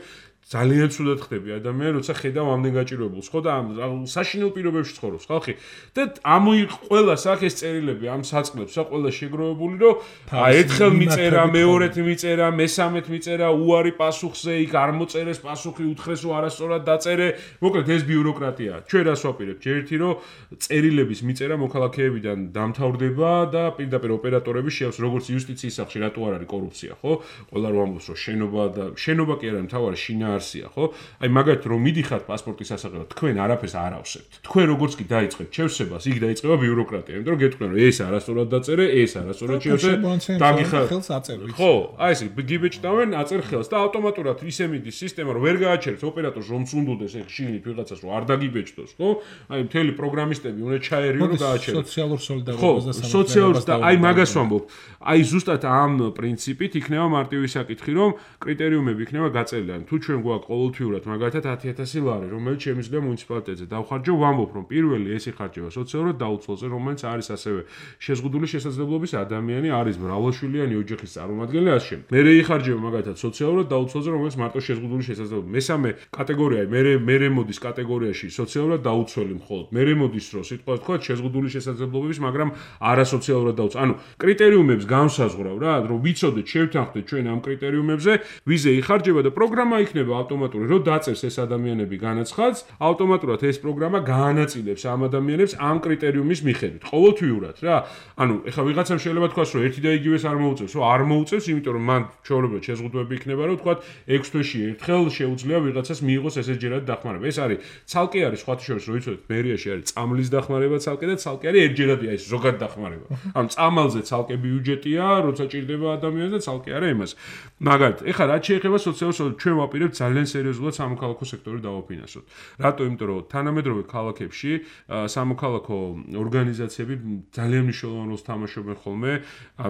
ძალიან ცუდად ხდები ადამიანი როცა ხედავ ამდენ გაჭირვებულს ხო და ამ საშინელ პირობებში ცხოვრობს ხალხი და ამ ყველას აქ ეს წერილები ამ საწყლებს რა ყველა შეგროვებული რომ აი ერთხელ მიწერა მეორედ მიწერა მესამედ მიწერა უარი პასუხზე იქ არ მოწერეს პასუხი უთხრეს რომ არასწორად დაწერე მოკლედ ეს ბიუროკრატია ჩვენ რას ვაპირებთ ერთი რომ წერილების მიწერა მოქალაქეებიდან დამთავრდება და პირდაპირ ოპერატორები შეავს როგორც იუსტიციის სახში რატო არ არის კორუფცია ხო ყველა რომ ამბობს რომ შენობა და შენობა კი არა მთავარი შინაარსია ხო აი მაგათ რომ მიდიხართ პასპორტის სასახელოდ თქვენ არაფერს არ ავსებთ თქვენ როგორც კი დაიწყებთ შევსებას იქ დაიწყება ბიუროკრატია იმიტომ რომ გეტყვიან რომ ეს არასწორად დაწერე ეს არასწორად შევსე დაგიხარ ხელს აწერ ვიცი ხო აი ეს გიბეჭდავენ აწერ ხელს და ავტომატურად ისე მიდის სისტემა რომ ვერ გააჩერებს ოპერატორს რომ სუნდოდეს ეგ შიგნით ვიღაცას რომ არ დაგიბეჭდოს ხო აი მთელი პროგრამისტები უნდა ჩაერიო რომ გააჩეროს სოციალურ სოლიდარობას და სოციალურ და აი მაგას ვამბობ აი ზუსტად ამ პრინციპით იქნება მარტივი საკითხი რომ კრიტერიუმები იქნება გაწერილი თუ ჩვენ გვაქვს ყოველთვიურად მაგალითად ათი ათასი ლარი რომელიც შემიძლია მუნიციპალიტეტზე დავხარჯო ვამბობ რომ პირველი ეს იხარჯება სოციალურად დაუცველზე რომელიც არის ასევე შეზღუდული შესაძლებლობის ადამიანი არის მრავალშვილიანი ოჯახის წარმომადგენელი ასე შემდეგ მერე იხარჯება მაგალითად სოციალურად დაუცველზე რომელიც მარტო შეზღუდული შესაძლებლობა მესამე კატეგორია მერე მერე მოდის კატეგორიაში სოციალურად დაუცველი მხოლოდ მერე მოდის რო სიტყვა თქვა შეზღუდული შესაძლებლობების მაგრამ არასოციალურად დაუცველი ანუ კრიტერიუმებს განსაზღვრავ რა რომ ვიცოდეთ შევთანხმდეთ ჩვენ ამ კრიტერიუმებზე ვიზე იხარჯება და პროგრამა იქნება ავტომატური რომ დაწერს ეს ადამიანები განაცხადს ავტომატურად ეს პროგრამა გაანაწილებს ამ ადამიანებს ამ კრიტერიუმის მიხედვით ყოველთვიურად რა ანუ ეხლა ვიღაცამ შეიძლება თქვას რომ ერთი და იგივეს არ მოუწევს რომ არ მოუწევს იმიტომ რომ მან ჩვეულებრივ შეზღუდვები იქნება რომ თქვა ექვს თვეში ერთხელ შეუძლია ვიღაცას მიიღოს ესეჯერად დახმარება ეს არის ცალკე არის სხვათა შორის რომ ვიცოდეთ მერიაში არის წამლის დახმარება ცალკე და ცალკე არის ერთჯერადი აი ეს ზოგად დახმარება ამ წამალზე ცალკე ბიუჯეტია როცა ჭირდება ადამიანს და ცალკე არა იმას მაგალითად ეხლა რაც შეეხება სოციალურ ჩვენ ვაპირებთ ძალიან სერიოზულად სამოქალაქო სექტორი დავაფინანსოთ რატო იმიტომ რომ თანამედროვე ქალაქებში სამოქალაქო ორგანიზაციები ძალიან მნიშვნელოვან როლს თამაშობენ ხოლმე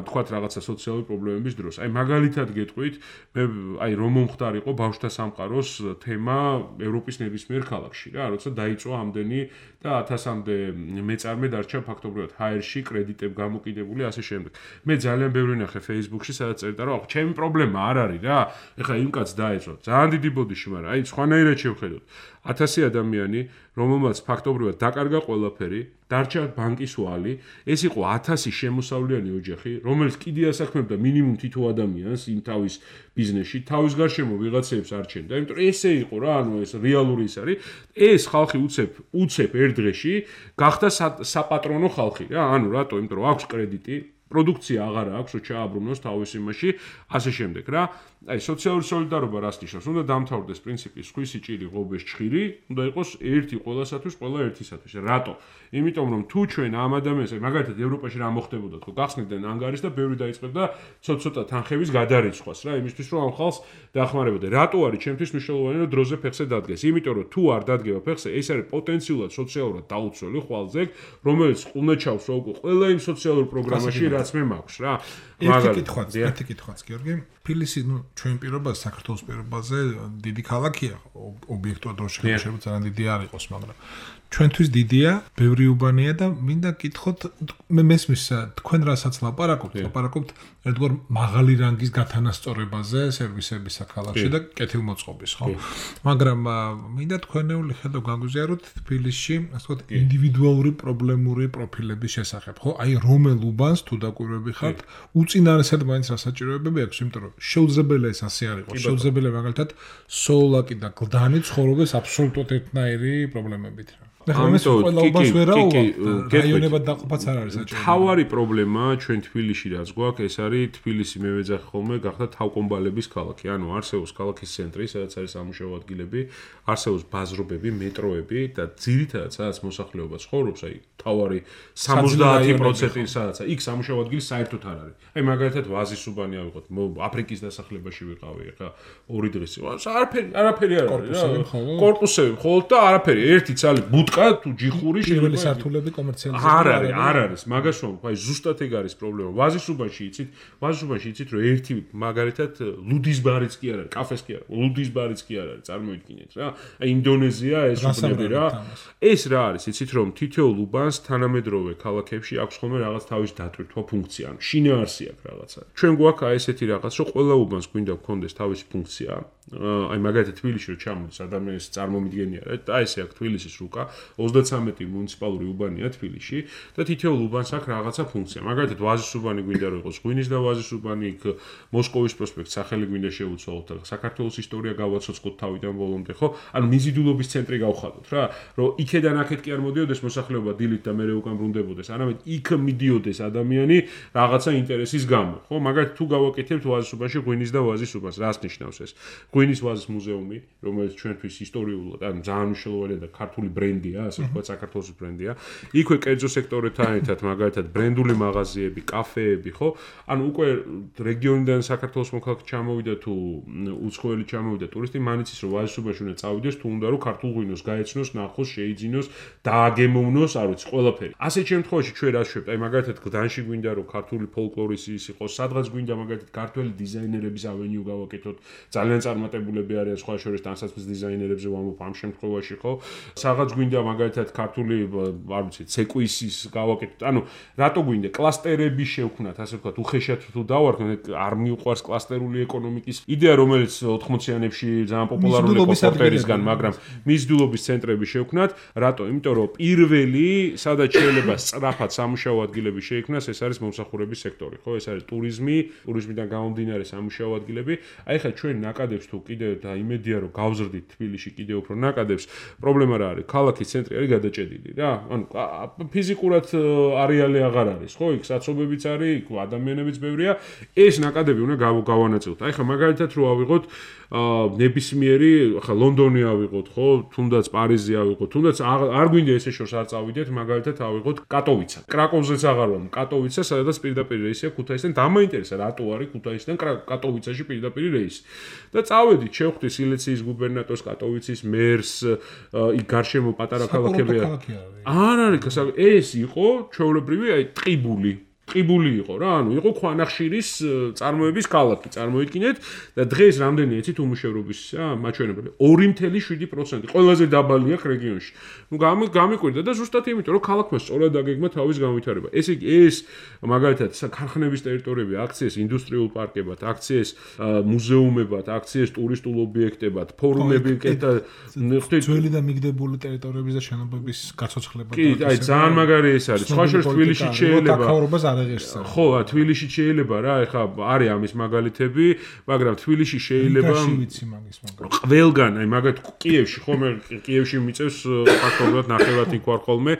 თქვათ რაღაცა სოციალური პრობლემების დროს აი მაგალითად გეტყვით მე აი რომ მომხდარიყო ბავშვთა სამყაროს თემა ევროპის ნებისმიერ ქალაქში რა როცა დაიწყო ამდენი და ათასამდე მეწარმე დარჩა ფაქტობრივად ჰაერში კრედიტებ გამოკიდებული ასე შემდეგ მე ძალიან ბევრი ნახე Facebook-ში სადაც წერდა რომ ჩემი პრობლემა არ არის რა ეხლა იმ კაცს დაეწო ძალიან დიდი ბოდიში მაგრამ აი სხვანაირად შევხედოთ ათასი ადამიანი რომელმაც ფაქტობრივად დაკარგა ყველაფერი დარჩა ბანკის ვალი ეს იყო ათასი შემოსავლიანი ოჯახი რომელიც კიდე ასაქმებდა მინიმუმ თითო ადამიანს იმ თავის ბიზნესში თავის გარშემო ვიღაცებს არჩენდა იმიტომ რომ ესე იყო რა ანუ ეს რეალური ის არის ეს ხალხი უცებ უცებ ერთ დღეში გახდა საპატრონო ხალხი რა ანუ რატო იმიტომ რომ აქვს კრედიტი პროდუქცია აღარა აქვს რომ ჩააბრუნოს თავის იმაში ასე შემდეგ რა აი სოციალური სოლიდარობა რას ნიშნავს უნდა დამთავრდეს პრინციპი სხვისი ჭირი ღობეს ჩხირი უნდა იყოს ერთი ყველასათვის ყველა ერთისათვის რატო იმიტომ რომ თუ ჩვენ ამ ადამიანს მაგალითად ევროპაში რა მოხდებოდა თქო გახსნიდნენ ანგარის და ბევრი დაიწყებდა ცოტ-ცოტა თანხების გადარიცხვას რა იმისთვის რომ ამ ხალხს დახმარებოდა რატო არის ჩემთვის მნიშვნელოვანი რომ დროზე ფეხზე დადგეს იმიტომ რომ თუ არ დადგება ფეხზე ეს არის პოტენციურად სოციალურად დაუცველი ხვალზე რომელიც ყუნაჩავს უკვე ყველა იმ სოციალურ პროგრამაში რაც მე მაქვს რა ერთი კითხვაც ერთი კითხვაც გიორგი თბილისი ნუ ჩვენ პირობაზე საქართველოს პირობაზე დიდი ქალაქია ობიექტურად რო შეიძლება ძალიან დიდი არ იყოს მაგრამ ჩვენთვის დიდია ბევრი უბანია და მინდა კითხოთ მე მესმის თქვენ რასაც ლაპარაკობთ ლაპარაკობთ ერთგვარ მაღალი რანგის გათანასწორებაზე სერვისების საქალაქში და კეთილმოწყობის ხო მაგრამ მინდა თქვენეული ხედო გაგვიზიაროთ თბილისში ასე ვთქვათ ინდივიდუალური პრობლემური პროფილების შესახებ ხო აი რომელ უბანს თუ დაკვირვები ხართ უწინარესად მაინც რა საჭიროებები აქვს იმიტომ რომ შეუძლებელია ეს ასე არ იყოს შეუძლებელია მაგალითად სოლაკი და გლდანი ცხოვრობდეს აბსოლუტურად ერთნაირი პრობლემებით რა ამიტომ ყველა უბანს ვერაო რაიონებად დაყოფაც არ არის საჭირო. თავარი პრობლემა ჩვენ თბილისში რაც გვაქვს, ეს არის თბილისი მე ვეძახი ხოლმე გახდა თავკომბალების ქალაქი. ანუ არსებობს ქალაქის ცენტრი, სადაც არის სამუშაო ადგილები, არსებობს ბაზრობები, მეტროები და ძირითადად სადაც მოსახლეობა ცხოვრობს, აი თავარი სამოცდაათი პროცენტი სადაც იქ სამუშაო ადგილი საერთოდ არ არის. აი მაგალითად ვაზის უბანი ავიღოთ, აფრიკის დასახლებაში ვიყავი, ხა ორი დღის. არაფერი, არაფერი არ არის რა. კორპუსები მხოლოდ და არაფერი, ერთი ცალი ბუტკა თუ ჯიხური პირველი სართულები კომერციალიზებული არ არის, არ არის. მაგას რომ აი ზუსტად ეგ არის პრობლემა. ვაზის უბანში იცით, ვაზის უბანში იცით რომ ერთი მაგალითად ლუდის ბარიც კი არ არის, კაფეს კი არ არის, ლუდის ბარიც კი არ არის, წარმოიდგინეთ რა. აი ინდონეზია ეს უბნები რა. ეს რა არის, იცით რომ თითოეულ უბანს თანამედროვე ქალაქებში აქვს ხოლმე რაღაც თავის დატვირთვა ფუნქცია, ანუ შინაარსი აქვს რაღაცა. ჩვენ გვაქვს აი ესეთი რაღაც, რომ ყველა უბანს გვინდა გქონდეს თავისი ფუნქცია. აი მაგალითად თბილისში რომ ჩამოდის ადამიანის წარმომიდგენია რა, აი ესე აქვს თბილისის რუკა, ოცდათრამეტი მუნიციპალური უბანია თბილისში და თითოეულ უბანს აქვს რაღაცა ფუნქცია. მაგალითად ვაზის უბანი გვინდა რომ იყოს ღვინის და ვაზის უბანი, იქ მოსკოვის პროსპექტს სახელი გვინდა შევუცვალოთ და საქართველოს ისტორია გავაცოცხლოთ თავიდან ბოლომდე, ხო? ანუ მიზიდულობის ცენტრი გავხადოთ რა, რომ იქედან აქეთ კი არ მოდიოდეს მოსახლეობა დილით და მერე უკან ბრუნდებოდეს, არამედ იქ მიდიოდეს ადამიანი რაღაცა ინტერესის გამო, ხო? მაგალითად თუ გავაკეთებთ ვაზის უბანში ღვინის და ვაზის უბანს, რას ნიშნავს ეს? ღვინის ვაზის მუზეუმი, რომელიც ჩვენთვის ისტორიულად, ანუ ძალიან მნიშვნელოვანია და ქართული ბრენდია, ასე ვთქვათ, საქართველოს ბრენდია. იქვე კერძო სექტორთან ერთად მაგალითად ბრენდული მაღაზიები, კაფეები, ხო? ანუ უკვე რეგიონიდან საქართველოს მოქალაქე ჩამოვიდა თუ უცხოელი ჩამოვიდა ტურისტი, მან იცის რომ ვაზის უბანში უნდა წავიდეს, თუ უნდა რომ ქართულ ღვინოს გაეცნოს, ნახოს, შეიძინოს, დააგემოვნოს, არ ვიცი, ყველაფერი. ასეთ შემთხვევაში ჩვენ რა შვებთ? აი მაგალითად გდანში გვინდა რომ ქართული ფოლკლორის ის იყოს, სადღაც გვინდა მაგალითად ქართველი დიზაინერების ავენიუ გავაკეთოთ, ძალიან წარმატებულები არიან სხვა შორის ტანსაცმლის დიზაინერებზე ვამბობ ამ შემთხვევაში, ხო? სადღაც გვინდა მაგალითად ქართული, არ ვიცი, ცეკვისის გავაკეთოთ. ანუ რატო გვინდა კლასტერები შევქმნათ, ასე ვთქვათ, უხეშად თუ დავარქნოთ, არ მიუყვარს კლასტერული ეკონომიკის იდეა, რომელიც ოთხმოციანებში ძალიან პოპულარული იყო პორტერისგან, მაგრამ მიზიდულობის ცენტრები შევქმნათ. რატო? იმიტომ რომ პირველი, სადაც შეიძლება სწრაფად სამუშაო ადგილები შეიქმნას, ეს არის მომსახურების სექტორი, ხო? ეს არის ტურიზმი, ტურიზმიდან გამომდინარე სამუშაო ადგილები. აი ხა ჩვენ ნაკადებს თუ კიდევ და იმედია რომ გავზრდით თბილისში კიდევ უფრო ნაკადებს, პრობლემა რა არის? ქალაქის ცენტრი არის გადაჭედილი რა. ანუ ფიზიკურად არეალი აღარ არის, ხო? იქ საცობებიც არის, იქ ადამიანებიც ბევრია. ეს ნაკადები უნდა გავანაწილოთ. აი ხა მაგალითად რო ავიღოთ ნებისმიერი, ხა ლონდონი ავიღოთ, ხო? თუნდაც პარიზი ავიღოთ, თუნდაც არ გვინდა ესე შორს არ წავიდეთ, მაგალითად ავიღოთ კატოვიცა. კრაკოვზეც აღარ ვარ, კატოვიცა, სადაც პირდაპირ რეისია ქუთაისიდან. დამაინტერესა რატო არის ქუთაისიდან კატოვიცაში პირდაპირ რეისი. და წავედით, შევხვდით სილეციის გუბერნატორს, კატოვიცის მერს, იქ გარშემო პატარა ქალაქები არ არის. ეს იყო ჩვეულებრივი, აი ტყიბული. ტყიბული იყო რა, ანუ იყო ქვანახშირის წარმოების ქალაქი, წარმოიდგინეთ და დღეს რამდენი ეცით უმუშევრობის მაჩვენებელი ორი ათეული შვიდი პროცენტი, ყველაზე დაბალი აქვს რეგიონში. ნუ გამიკვირდა და ზუსტად იმიტომ, რომ ქალაქმა სწორად აგეგმა თავის განვითარება. ესე იგი, ეს მაგალითად ქარხნების ტერიტორიები აქციეს ინდუსტრიულ პარკებად, აქციეს მუზეუმებად, აქციეს ტურისტულ ობიექტებად, ფორუმები, ძველი და მიგდებული ტერიტორიების და შენობების გაცოცხლება. კი, აი ძალიან მაგარი ეს არის. სხვა შორის თბილისში შეიძლება ხო, თბილისში შეიძლება რა, ეხლა არის ამის მაგალითები, მაგრამ თბილისში შეიძლება ყველგან, აი მაგალითად კიევში, ხომ კიევში მიწევს ფაქტობრივად ნახევარად იქ ვარ ხოლმე,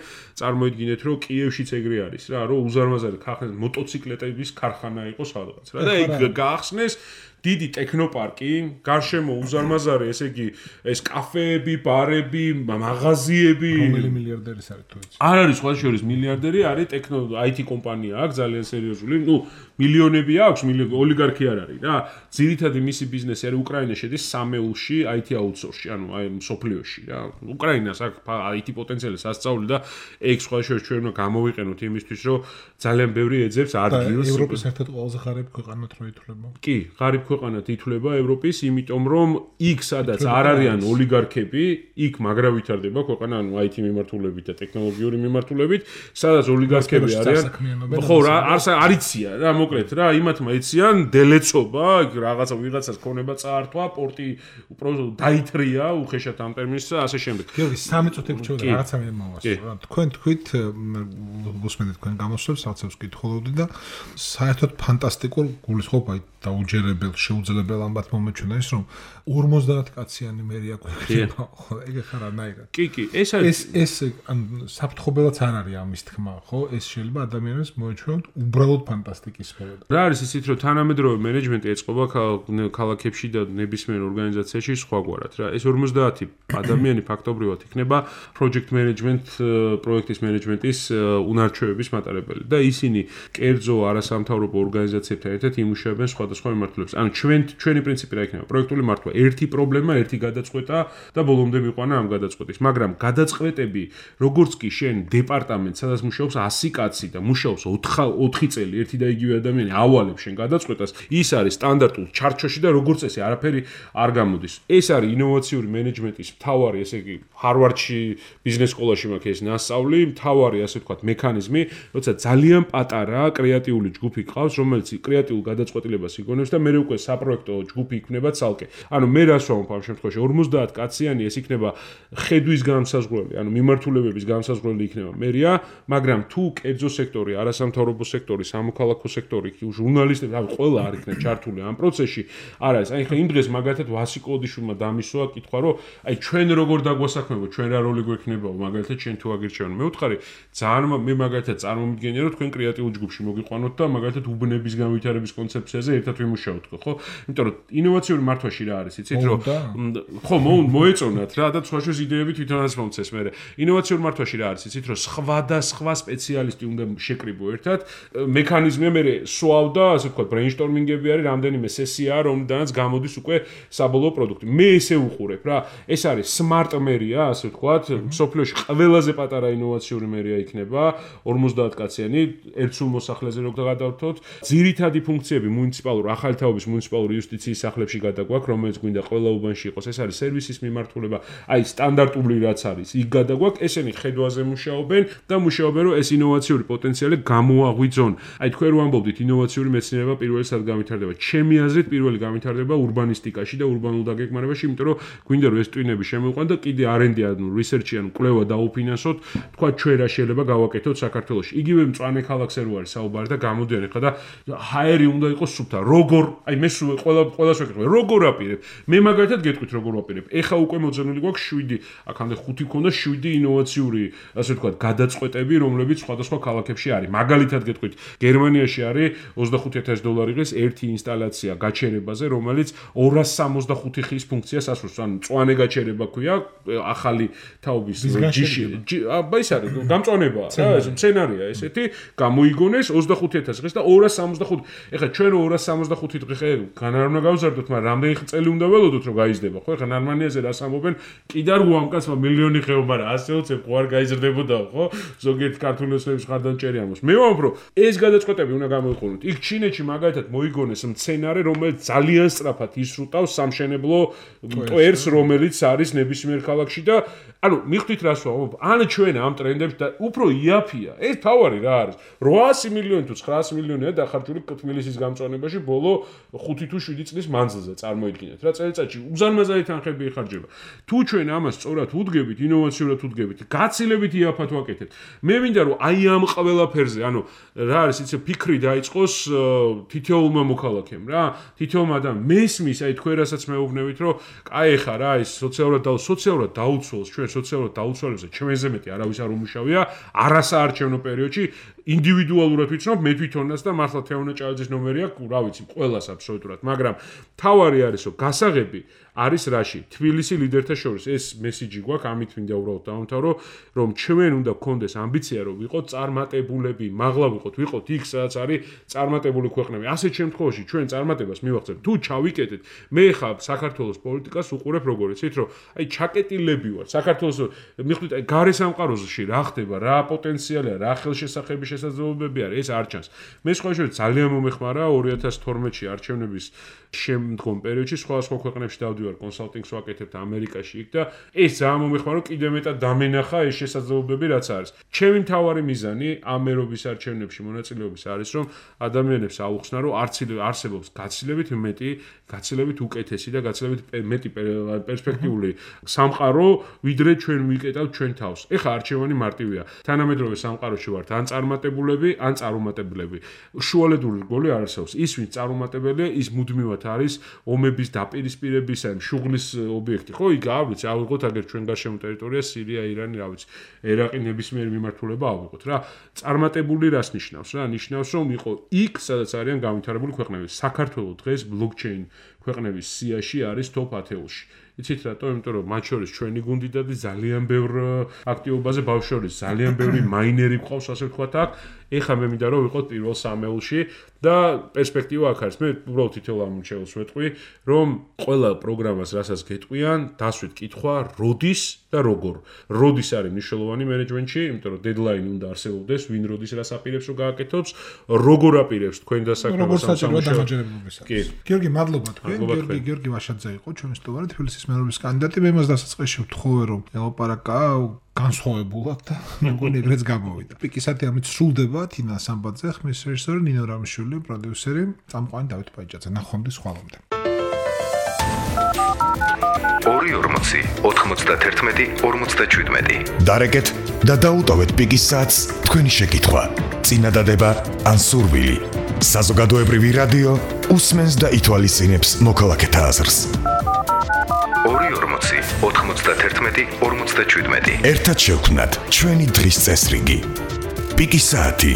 წარმოიდგინეთ რომ კიევშიც ეგრე არის რა, რომ უზარმაზარი ქარხანა, მოტოციკლეტების ქარხანა იყო სადღაც რა და იქ გაახსნეს დიდი ტექნოპარკი, გარშემო უზარმაზარი, ესე იგი, ეს კაფეები, ბარები, მაღაზიები. რომელი მილიარდერის არის თუ იცი? არ არის სხვა შორის მილიარდერი, არის ტექნო აი თი კომპანია აქვს, ძალიან სერიოზული. ნუ მილიონები აქვს, ოლიგარქი არ არის რა. ძირითადი მისი ბიზნესი არის უკრაინა შედის სამეულში, აი თი აუთსორსში, ანუ აი სოფლიოში რა. უკრაინას აქვს აი თი პოტენციალი სასწაული და ეგ სხვა შორის ჩვენ უნდა გამოვიყენოთ იმისთვის, რომ ძალიან ბევრი ეძებს ადგილს. ევროპის ერთ-ერთი ყველაზე ღარიბი ქვეყანად რო ითვლება. კი, ღარიბ ქვეყანად ითვლება ევროპის, იმიტომ რომ იქ სადაც არ არიან ოლიგარქები, იქ მაგრა ვითარდება ქვეყანა, ანუ აი თი მიმართულებით და ტექნოლოგიური მიმართულებით, სადაც ოლიგარქები არიან. ხო, რა, არიცია რა, მოკლედ რა, იმათმა იციან დელეცობა, იქ რაღაცა ვიღაცას ქონება წაართვა, პორტი უბრალოდ დაითრია, უხეშად ამ ტერმინს და ასე შემდეგ. გიორგი, სამი წუთი გრჩევდა რაღაცა მე მოვასწრო რა. თქვენ თქვით, გусმენთ თქვენ გამოსვლებს, რაღაცებს კითხულობდი და საერთოდ ფანტასტიკურ გულისხმობ აი დაუჯერებელ შეუძლებელ ამბად მომეჩვენა ის რომ ორმოცდაათ კაციანი მერია გვექნება ხო ეგ ხარ რანაირად კი კი ეს არის ეს ეს ან საფრთხობელაც არ არის ამის თქმა ხო ეს შეიძლება ადამიანებს მოეჩვენოთ უბრალოდ ფანტასტიკის სფეროდ რა არის ისიც რომ თანამედროვე მენეჯმენტი ეწყობა ქალაქებში და ნებისმიერ ორგანიზაციაში სხვაგვარად რა ეს ორმოცდაათი ადამიანი ფაქტობრივად იქნება project management პროექტის მენეჯმენტის უნარჩვევების მატარებელი და ისინი კერძო არასამთავრობო ორგანიზაციებთან ერთად იმუშავებენ სხვადასხვა მიმართულებით ანუ ჩვენ ჩვენი პრინციპი რა იქნება პროექტული მართვა ერთი პრობლემა ერთი გადაწყვეტა და ბოლომდე მიყვანა ამ გადაწყვეტის მაგრამ გადაწყვეტები როგორც კი შენ დეპარტამენტ სადაც მუშაობს ასი კაცი და მუშაობს ოთხი წელი ერთი და იგივე ადამიანი ავალებს შენ გადაწყვეტას ის არის სტანდარტულ ჩარჩოში და როგორც წესი არაფერი არ გამოდის ეს არის ინოვაციური მენეჯმენტის მთავარი ესე იგი ჰარვარდში ბიზნეს სკოლაში მაქვს ეს ნასწავლი მთავარი ასე ვთქვათ მექანიზმი როცა ძალიან პატარა კრეატიული ჯგუფი ყავს რომელიც კრეატიულ გადაწყვეტილებას იგონებს და მე უკვე საპროექტო ჯგუფი იქნება ცალკე ანუ მე რას ვამბობ ამ შემთხვევაში ორმოცდაათ კაციანი ეს იქნება ხედვის განსაზღვრელი ანუ მიმართულებების განსაზღვრელი იქნება მერია მაგრამ თუ კერძო სექტორი არასამთავრობო სექტორი სამოქალაქო სექტორი ჟურნალისტები რავი ყველა არ იქნება ჩართული ამ პროცესში არა ეს აი ხა იმ დღეს მაგათად ვასი კლოდიშვილმა დამისვა კითხვა რომ აი ჩვენ როგორ დაგვასაქმებო ჩვენ რა როლი გვექნებაო მაგალითად ჩვენ თუ აგირჩევენ მე ვთხარი ძალიან მე მაგალითად წარმომიდგენია რომ თქვენ კრეატიულ ჯგუფში მოგიყვანოთ და მაგალითად უბნების განვითარების კონცეფციაზე ერთად ვიმუშაოთ ხო იმიტომ რომ ინოვაციური მართვაში რა არის იცით რომ ხო მოეწონათ რა და სხვაშორის იდეები თვითონაც მომცეს მე ინოვაციური მართვაში რა არის იცით რომ სხვადასხვა სპეციალისტი უნდა შეკრიბო ერთად მექანიზმი მე სვავდა ასე ვთქვათ ბრეინსტორმინგები არის რამდენიმე სესია რომლიდანაც გამოდის უკვე საბოლოო პროდუქტი მე ესე უყურებ რა ეს არის smart მერია ასე ვთქვათ სოფლიოში ყველაზე პატარა ინოვაციური მერია იქნება ორმოცდაათ კაციანი ერთ სულ მოსახლეზე როგორ გადავთოთ ძირითადი ფუნქციები მუნიციპალურ ახალი თაობის მუნიციპალურ იუსტიციის სახლებში გადაგვაქვს რომელიც გვინდა ყველა უბანში იყოს ეს არის სერვისის მიმართულება აი სტანდარტული რაც არის იქ გადაგვაქვს ესენი ხედვაზე მუშაობენ და მუშაობენ რომ ეს ინოვაციური პოტენციალი გამოაღვიძონ აი თქვენ რო ამბობდით ინოვაციური მეცნიერება პირველი სად განვითარდება ჩემი აზრით პირველი განვითარდება ურბანისტიკაში და ურბანულ დაგეგმარებაში იმიტომ რომ გვინდა რომ ეს ტვინები შემოვყვან და კიდე არენდი ანუ რისერჩი ანუ კვლევა დაუფინანსოთ თქვა ჩვენ რა შეიძლება გავაკეთოთ საქართველოში იგივე მწვანე ქალაქზე რო არის საუბარი და გამოდიან ახლა და ჰაერი უნდა იყოს სუფთა როგორ აი მე სულ ყველა ყველას ვეკითხე როგორ აპირებ მე მაგალითად გეტყვით როგორ ვაპირებ ეხა უკვე მოძებნილი გვაქვს შვიდი აქამდე ხუთი ქონდა შვიდი ინოვაციური ასე ვთქვათ გადაწყვეტები რომლებიც სხვადასხვა ქალაქებში არის მაგალითად გეტყვით გერმანიაში არის ოცდახუთი ათასი დოლარი ღირს ერთი ინსტალაცია გაჩერებაზე რომელიც ორას სამოცდახუთი ხის ფუნქციას ასრულებს ანუ მწვანე გაჩერება ქვია ახალი თაობის ჯიში აბა ის არის გამწვანებაა რა ეს სცენარია ესეთი გამოიგონეს ოცდახუთი ათასი ღირს და ორას სამოცდახუთი ეხლა ჩვენ ორას სამოცდახუთი დღე ხე განარונה გავზარდოთ მაგრამ რამდენი წელი უნდა ველოდოთ რომ გაიზრდება ხო ეხლა ნორმანიაზე რას ამბობენ კიდარ უამკაცმა მილიონი ხეო მაგრამ ასე უცებ ხო არ გაიზრდებოდა ხო ზოგიერთ ქართული ოცნების ხარდან ჭერი ამოს მე ვამბობ რომ ეს გადაწყვეტები უნდა გამოიყენოთ იქ ჩინეთში მაგალითად მოიგონეს მცენარე რომელიც ძალიან სწრაფად ისრუტავს სამშენებლო მტვერს რომელიც არის ნებისმიერ ქალაქში და ანუ მიხვდით რას ვამბობ ან ჩვენ ამ ტრენდებს და უფრო იაფია ეს თავარი რა არის რვაასი მილიონი თუ ცხრაასი მილიონია დახარჯული თბილისის გამწვანებაში ბოლო ხუთი თუ შვიდი წლის მანძილზე წარმოიდგინეთ რა წელიწადში უზარმაზარი თანხები იხარჯება თუ ჩვენ ამას სწორად უდგებით ინოვაციურად უდგებით გაცილებით იაფად ვაკეთებთ მე მინდა რომ აი ამ ყველაფერზე ანუ რა არის იცი ფიქრი დაიწყოს თითოეულმა მოქალაქემ რა თითოეულმა ადამიანს მესმის აი თქვენ რასაც მეუბნებით რომ აი ხა რა ის სოციალურად და სოციალურად დაუცველს ჩვენ სოციალურად დაუცველებზე ჩვენზე მეტი არავის არ უმუშავია არასაარჩევნო პერიოდში ინდივიდუალურად ვიცნობ მე თვითონაც და მართლა თეონა ჭალიძის ნომერი აქვს რა ვიცი ყველას აბსოლუტურად მაგრამ თავარი არის რომ გასაღები არის რაში თბილისი ლიდერთა შორის ეს მესიჯი გვაქვს ამით მინდა უბრალოდ დავამთავრო რომ ჩვენ უნდა გქონდეს ამბიცია რომ ვიყოთ წარმატებულები მაღლა ვიყოთ ვიყოთ იქ სადაც არის წარმატებული ქვეყნები ასეთ შემთხვევაში ჩვენ წარმატებას მივახცევთ თუ ჩავიკეტეთ მე ხა საქართველოს პოლიტიკას უყურებ როგორ იცით რომ აი ჩაკეტილები ვარ საქართველოს მიხვდით აი გარე სამყაროში რა ხდება რა პოტენციალია რა ხელშესახების შესაძლებლობები არის ეს არ ჩანს მე სხვა შეიძლება ძალიან მომეხმარა ორი ათას თორმეტში არჩევნების შემდგომ პერიოდში სხვა სხვა ქვეყნებში დავდი გამოდივარ კონსალტინგს ვაკეთებ ამერიკაში იქ და ეს ძალიან მომეხმარა რომ კიდევ მეტად დამენახა ეს შესაძლებლობები რაც არის. ჩემი მთავარი მიზანი ამ ერობის არჩევნებში მონაწილეობის არის რომ ადამიანებს აუხსნა რომ არსებობს გაცილებით მეტი, გაცილებით უკეთესი და გაცილებით მეტი პერსპექტიული სამყარო, ვიდრე ჩვენ ვიკეტავთ ჩვენ თავს. ეხლა არჩევანი მარტივია. თანამედროვე სამყაროში ვართ ან წარმატებულები, ან წარუმატებლები. შუალედური რგოლი არ არსებობს. ის ვინც წარუმატებელია, ის მუდმივად არის ომების დაპირისპირების ან შუღლის ობიექტი. ხო, იქ ავიღოთ, ავიღოთ აგერ ჩვენ გარშემო ტერიტორია, სირია, ირანი, რა ვიცი, ერაყი ნებისმიერი მიმართულება ავიღოთ რა. წარმატებული რას ნიშნავს რა? ნიშნავს რომ იყო იქ, სადაც არიან განვითარებული ქვეყნები. საქართველოს დღეს ბლოკჩეინ ქვეყნების სიაში არის top ათეულში. იცით რატო? იმიტომ რომ მათ შორის ჩვენი გუნდიდადი ძალიან ბევრ აქტივობაზე ბავშვების ძალიან ბევრი მაინერი ყავს, ასე ვთქვათ აქ. ეხლა მე მინდა რომ ვიყოთ პირველ სამეულში და პერსპექტივა აქ არის. მე უბრალოდ თითოეულ ამორჩეულს ვეთყვი, რომ ყველა პროგრამას რასაც გეტყვიან, დასვით კითხვა, როდის და როგორ. როდის არის მნიშვნელოვანი მენეჯმენტში, იმიტომ რომ დედლაინი უნდა არსებობდეს, ვინ როდის რას აპირებს რომ გააკეთოს, როგორ აპირებს თქვენ დასაქმებას სამუშაოებს. გიორგი, მადლობა თქვენ. გიორგი, გიორგი ვაშაძე იყო ჩვენი სტუმარი, თბილისის მერობის კანდიდატი. მე მას დასაწყისში ვთხოვე რომ ელაპარაკა განსხვავებულად და მეგონი ეგრეც გამოვიდა. პიკისათი ამით სრულდება თინა სამბაძე, ხმის რეჟისორი ნინო რამიშვილი, პროდიუსერი წამყვანი დავით პაიჭაძე. ნახვამდის ხვალამდე. ორი ორმოცი ოთხმოცდაერთმეტი ორმოცდაშვიდმეტი დარეკეთ და დაუტოვეთ პიკის საათს თქვენი შეკითხვა. წინადადება ან სურვილი. საზოგადოებრივი რადიო უსმენს და ითვალისწინებს მოქალაქეთა აზრს. ორი ორმოცი ოთხმოცდაერთმეტი ორმოცდაშვიდმეტი ერთად შევქმნათ ჩვენი დღის წესრიგი. პიკის საათი